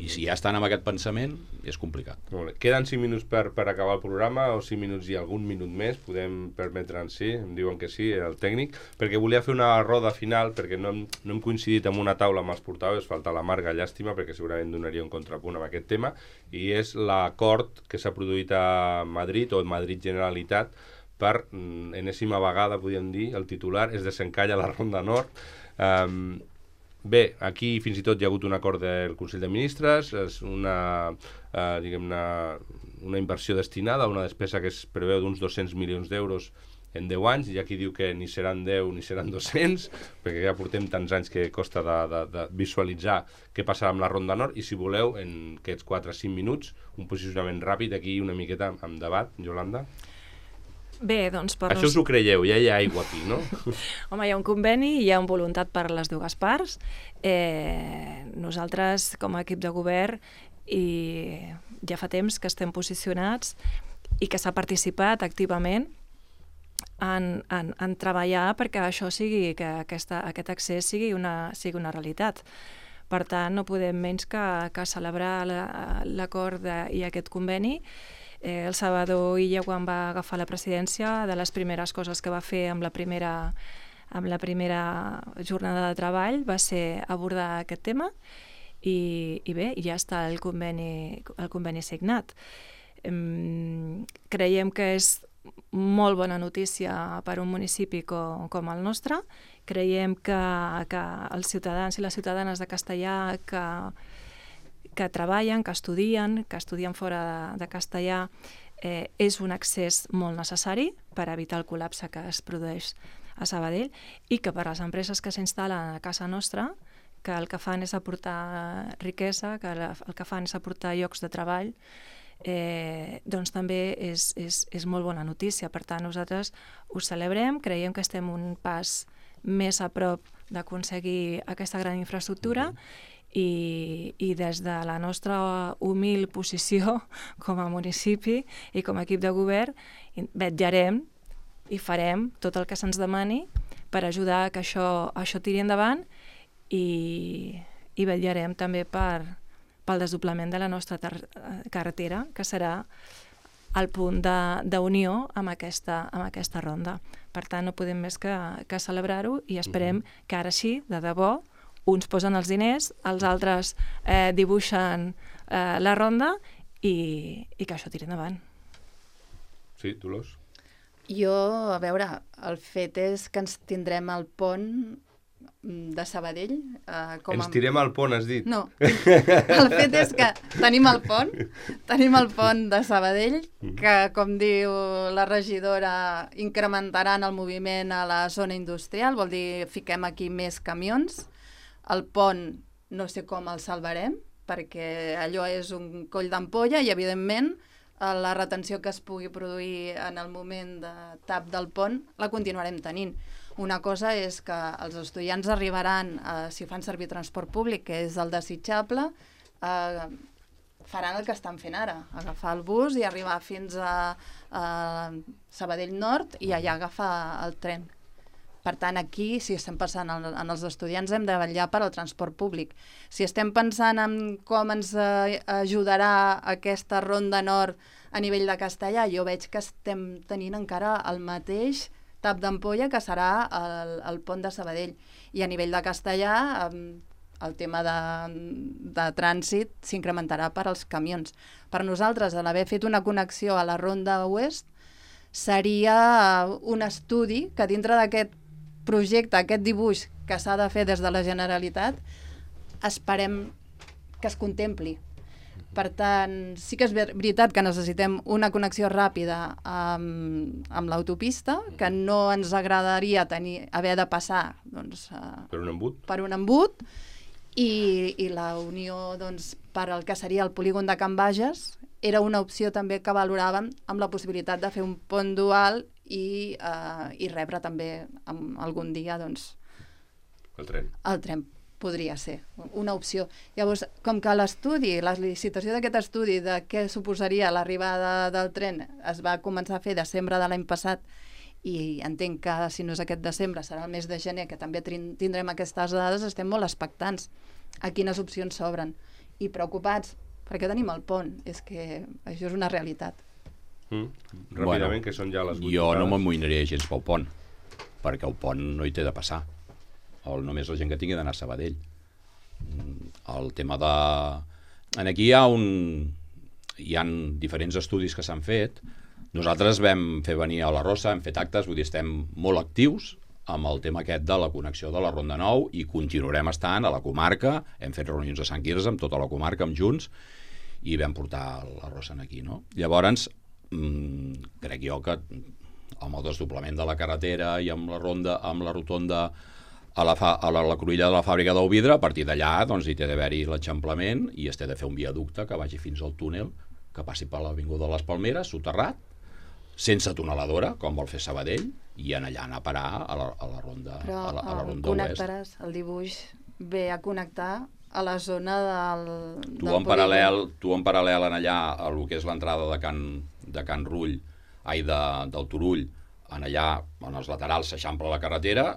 [SPEAKER 4] I si ja estan amb aquest pensament, és complicat.
[SPEAKER 1] Molt bé. Queden cinc minuts per, per acabar el programa, o cinc minuts i algun minut més, podem permetre'n sí, em diuen que sí, el tècnic, perquè volia fer una roda final, perquè no hem, no hem coincidit en una taula amb els portaveus, falta la Marga, llàstima, perquè segurament donaria un contrapunt amb aquest tema, i és l'acord que s'ha produït a Madrid, o Madrid Generalitat, per mm, enèsima vegada, podríem dir, el titular es desencalla la Ronda Nord. Um, Bé, aquí fins i tot hi ha hagut un acord del Consell de Ministres, és una, eh, diguem-ne, una inversió destinada a una despesa que es preveu d'uns dos-cents milions d'euros en deu anys, i aquí diu que ni seran deu ni seran dos-cents, perquè ja portem tants anys que costa de, de, de visualitzar què passarà amb la Ronda Nord, i si voleu, en aquests quatre o cinc minuts, un posicionament ràpid aquí, una miqueta amb debat, Yolanda.
[SPEAKER 2] Bé, doncs per
[SPEAKER 1] Això us ho creieu, ja hi ha aigua aquí, no?
[SPEAKER 2] Home, hi ha un conveni i hi ha una voluntat per les dues parts. Eh, nosaltres, com a equip de govern, i ja fa temps que estem posicionats i que s'ha participat activament en, en, en treballar perquè això sigui, que aquesta, aquest accés sigui una, sigui una realitat. Per tant, no podem menys que, que celebrar l'acord la, i aquest conveni. Eh, el Salvador Illa, quan va agafar la presidència, de les primeres coses que va fer amb la primera, amb la primera jornada de treball va ser abordar aquest tema i, i bé, ja està el conveni, el conveni signat. Eh, creiem que és molt bona notícia per a un municipi com, com el nostre. Creiem que, que els ciutadans i les ciutadanes de Castellà que que treballen, que estudien, que estudien fora de, de castellà, eh, és un accés molt necessari per evitar el col·lapse que es produeix a Sabadell, i que per les empreses que s'instal·len a casa nostra, que el que fan és aportar riquesa, que el que fan és aportar llocs de treball, eh, doncs també és, és, és molt bona notícia. Per tant, nosaltres ho celebrem, creiem que estem un pas més a prop d'aconseguir aquesta gran infraestructura, mm-hmm. I, i des de la nostra humil posició com a municipi i com a equip de govern vetllarem i farem tot el que se'ns demani per ajudar que això, això tiri endavant, i, i vetllarem també per, pel desdoblament de la nostra carretera, que serà el punt d'unió amb, aquesta, amb aquesta ronda. Per tant, no podem més que, que celebrar-ho, i esperem que ara sí, de debò, uns posen els diners, els altres eh, dibuixen eh, la ronda, i, i que això tiri endavant.
[SPEAKER 1] Sí, Dolors?
[SPEAKER 3] Jo, a veure, el fet és que ens tindrem el pont de Sabadell. Eh, com
[SPEAKER 1] Ens
[SPEAKER 3] a...
[SPEAKER 1] tirem al pont, has dit?
[SPEAKER 3] No, el fet és que tenim el pont, tenim el pont de Sabadell, que, com diu la regidora, incrementaran el moviment a la zona industrial, vol dir, fiquem aquí més camions. El pont no sé com el salvarem, perquè allò és un coll d'ampolla i, evidentment, la retenció que es pugui produir en el moment de tap del pont la continuarem tenint. Una cosa és que els estudiants arribaran, eh, si fan servir transport públic, que és el desitjable, eh, faran el que estan fent ara, agafar el bus i arribar fins a, a Sabadell Nord i allà agafar el tren. Per tant, aquí, si estem pensant en, en els estudiants, hem de vetllar per al transport públic. Si estem pensant en com ens eh, ajudarà aquesta ronda nord a nivell de Castellà, jo veig que estem tenint encara el mateix tap d'ampolla que serà el, el pont de Sabadell. I a nivell de Castellà, eh, el tema de, de trànsit s'incrementarà per als camions. Per nosaltres, a l'haver fet una connexió a la Ronda Oest, seria un estudi que dintre d'aquest projecte, aquest dibuix que s'ha de fer des de la Generalitat, esperem que es contempli. Per tant, sí que és veritat que necessitem una connexió ràpida amb, amb l'autopista, que no ens agradaria tenir, haver de passar doncs,
[SPEAKER 1] per un embut,
[SPEAKER 3] per un embut i, i la unió doncs, per al que seria el polígon de Can Bages era una opció també que valoràvem amb la possibilitat de fer un pont dual i, eh, i rebre també amb algun dia doncs,
[SPEAKER 1] el tren.
[SPEAKER 3] El tren podria ser una opció. Llavors, com que l'estudi, la licitació d'aquest estudi de què suposaria l'arribada del tren es va començar a fer desembre de l'any passat i entenc que si no és aquest desembre serà el mes de gener que també tindrem aquestes dades, estem molt expectants a quines opcions s'obren i preocupats perquè tenim el pont, és que això és una realitat.
[SPEAKER 1] Mm. Ràpidament, bueno, que són ja les vuit.
[SPEAKER 4] Jo no m'amoïnaria gens pel pont, perquè el pont no hi té de passar. El, només la gent que tingui d'anar a Sabadell. El tema de... En aquí hi ha un... hi ha diferents estudis que s'han fet. Nosaltres vam fer venir a la Rosa, hem fet actes, vull dir, estem molt actius amb el tema aquest de la connexió de la Ronda nou i continuarem estant a la comarca. Hem fet reunions a Sant Quirze amb tota la comarca, amb Junts, i vam portar la Rosa aquí, no? Llavors, mmm, crec jo que amb el desdoblament de la carretera i amb la ronda, amb la rotonda a la, fa, a la, la cruïlla de la fàbrica del vidre, a partir d'allà doncs, hi té d'haver-hi l'eixamplament i es té de fer un viaducte que vagi fins al túnel, que passi per l'Avinguda de les Palmeres, soterrat, sense tuneladora, com vol fer Sabadell, i en allà anar a parar a la, a la ronda,
[SPEAKER 3] Però,
[SPEAKER 4] a la, a la ronda
[SPEAKER 3] connectaràs, oest. El dibuix ve a connectar a la zona del,
[SPEAKER 4] tu
[SPEAKER 3] del
[SPEAKER 4] en paral·lel, tu en paral·lel en allà a el que és l'entrada de Can, de Can Rull, ai, de, del Turull, en allà, en els laterals s'eixampla la carretera,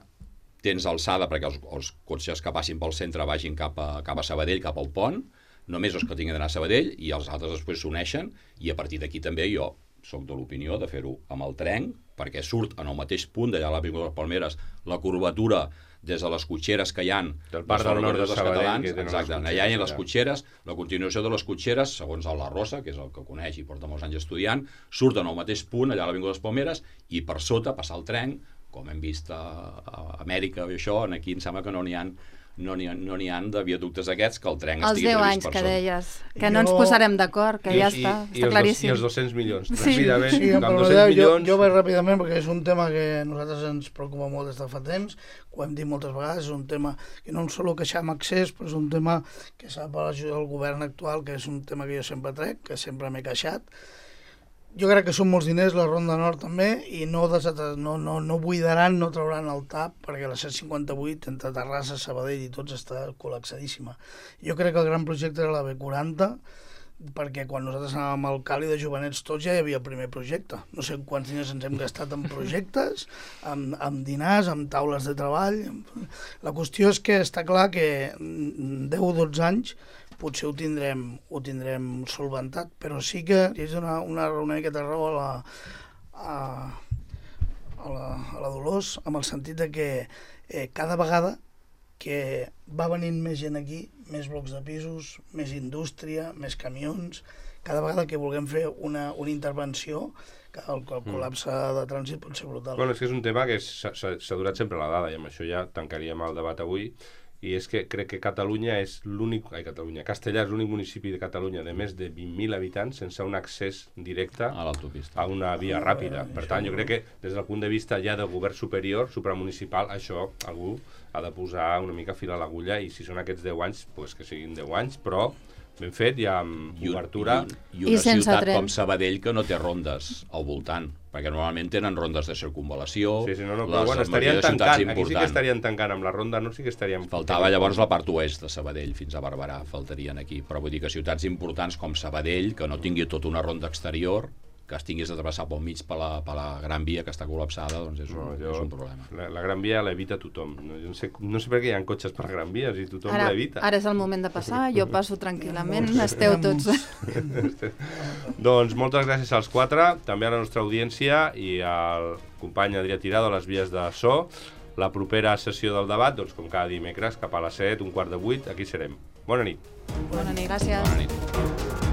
[SPEAKER 4] tens alçada perquè els, els cotxes que passin pel centre vagin cap a, cap a Sabadell, cap al pont, només els que tinguin d'anar a Sabadell, i els altres després s'uneixen, i a partir d'aquí també jo soc de l'opinió de fer-ho amb el tren, perquè surt en el mateix punt d'allà a l'Avinguda de les Palmeres la curvatura des de les cotxeres que hi ha
[SPEAKER 1] del Parc del Nord de Sabadell, que tenen
[SPEAKER 4] exacte, allà hi ha les cotxeres, la continuació de les cotxeres, segons el La Rosa, que és el que coneix i porta molts anys estudiant, surten al mateix punt allà a l'Avinguda de les Palmeres i per sota passar el tren, com hem vist a, a Amèrica i això, aquí em sembla que no n'hi ha no n'hi ha, no n'hi ha de viaductes aquests que el tren
[SPEAKER 3] els
[SPEAKER 4] estigui previst per
[SPEAKER 3] sota. Els deu anys que deies, que
[SPEAKER 5] jo...
[SPEAKER 3] no ens posarem d'acord, que
[SPEAKER 1] I,
[SPEAKER 3] ja
[SPEAKER 1] i,
[SPEAKER 3] està,
[SPEAKER 1] i
[SPEAKER 3] està claríssim.
[SPEAKER 1] I els dos-cents milions,
[SPEAKER 3] sí.
[SPEAKER 1] ràpidament,
[SPEAKER 5] sí,
[SPEAKER 1] amb
[SPEAKER 5] però
[SPEAKER 1] dos-cents milions...
[SPEAKER 5] Jo, jo vaig ràpidament perquè és un tema que a nosaltres ens preocupa molt des de fa temps, ho hem dit moltes vegades, és un tema que no ens solo queixam accés, però és un tema que s'ha per ajudar el govern actual, que és un tema que jo sempre trec, que sempre m'he queixat. Jo crec que són molts diners, la Ronda Nord també, i no, no, no, no buidaran, no trauran el tap, perquè la C cinquanta-vuit entre Terrassa, Sabadell i tots està col·lapsadíssima. Jo crec que el gran projecte era la B quaranta, perquè quan nosaltres anàvem al Cali de Jovenets tots ja hi havia el primer projecte. No sé quants diners ens hem gastat en projectes, amb, amb dinars, amb taules de treball. La qüestió és que està clar que deu o dotze anys potser ho tindrem, ho tindrem solventat, però sí que és una, una, una miqueta raó a la, a, a, la, a la Dolors, amb el sentit de que eh, cada vegada que va venint més gent aquí, més blocs de pisos, més indústria, més camions, cada vegada que vulguem fer una, una intervenció, que el, el col·lapse de trànsit pot ser brutal.
[SPEAKER 1] Bueno, és que és un tema que s'ha durat sempre la dada, i amb això ja tancaríem el debat avui, i és que crec que Catalunya és l'únic, ai, Catalunya, Castellà és l'únic municipi de Catalunya de més de vint mil habitants sense un accés directe
[SPEAKER 4] a l'autopista,
[SPEAKER 1] a una via ràpida. Per tant, jo crec que des del punt de vista ja del govern superior, supramunicipal, això algú ha de posar una mica fil a l'agulla, i si són aquests deu anys, pues que siguin deu anys, però ben fet i amb
[SPEAKER 4] I, un,
[SPEAKER 1] obertura.
[SPEAKER 4] I, un, i una ciutat com Sabadell que no té rondes al voltant, perquè normalment tenen rondes de circunvalació.
[SPEAKER 1] Sí, sí, no, no, però bueno, estarien tancant, aquí sí que estarien tancant amb la ronda, no sí que estaríem...
[SPEAKER 4] Faltava llavors la part oest de Sabadell, fins a Barberà, faltarien aquí. Però vull dir que ciutats importants com Sabadell, que no tingui tota una ronda exterior, que es tinguis de travessar pel mig per la, per la Gran Via que està col·lapsada, doncs és un, no, jo, és un problema.
[SPEAKER 1] La, la Gran Via l'evita tothom. No, no, sé, no sé per què hi ha cotxes per Gran Via, si tothom l'evita.
[SPEAKER 3] Ara és el moment de passar, jo passo tranquil·lament, esteu tots...
[SPEAKER 1] Doncs moltes gràcies als quatre, també a la nostra audiència i al company Adrià Tirado a les vies de so. La propera sessió del debat, doncs com cada dimecres, cap a les set, un quart de vuit, aquí serem. Bona nit.
[SPEAKER 3] Bona nit, gràcies.
[SPEAKER 4] Bona nit.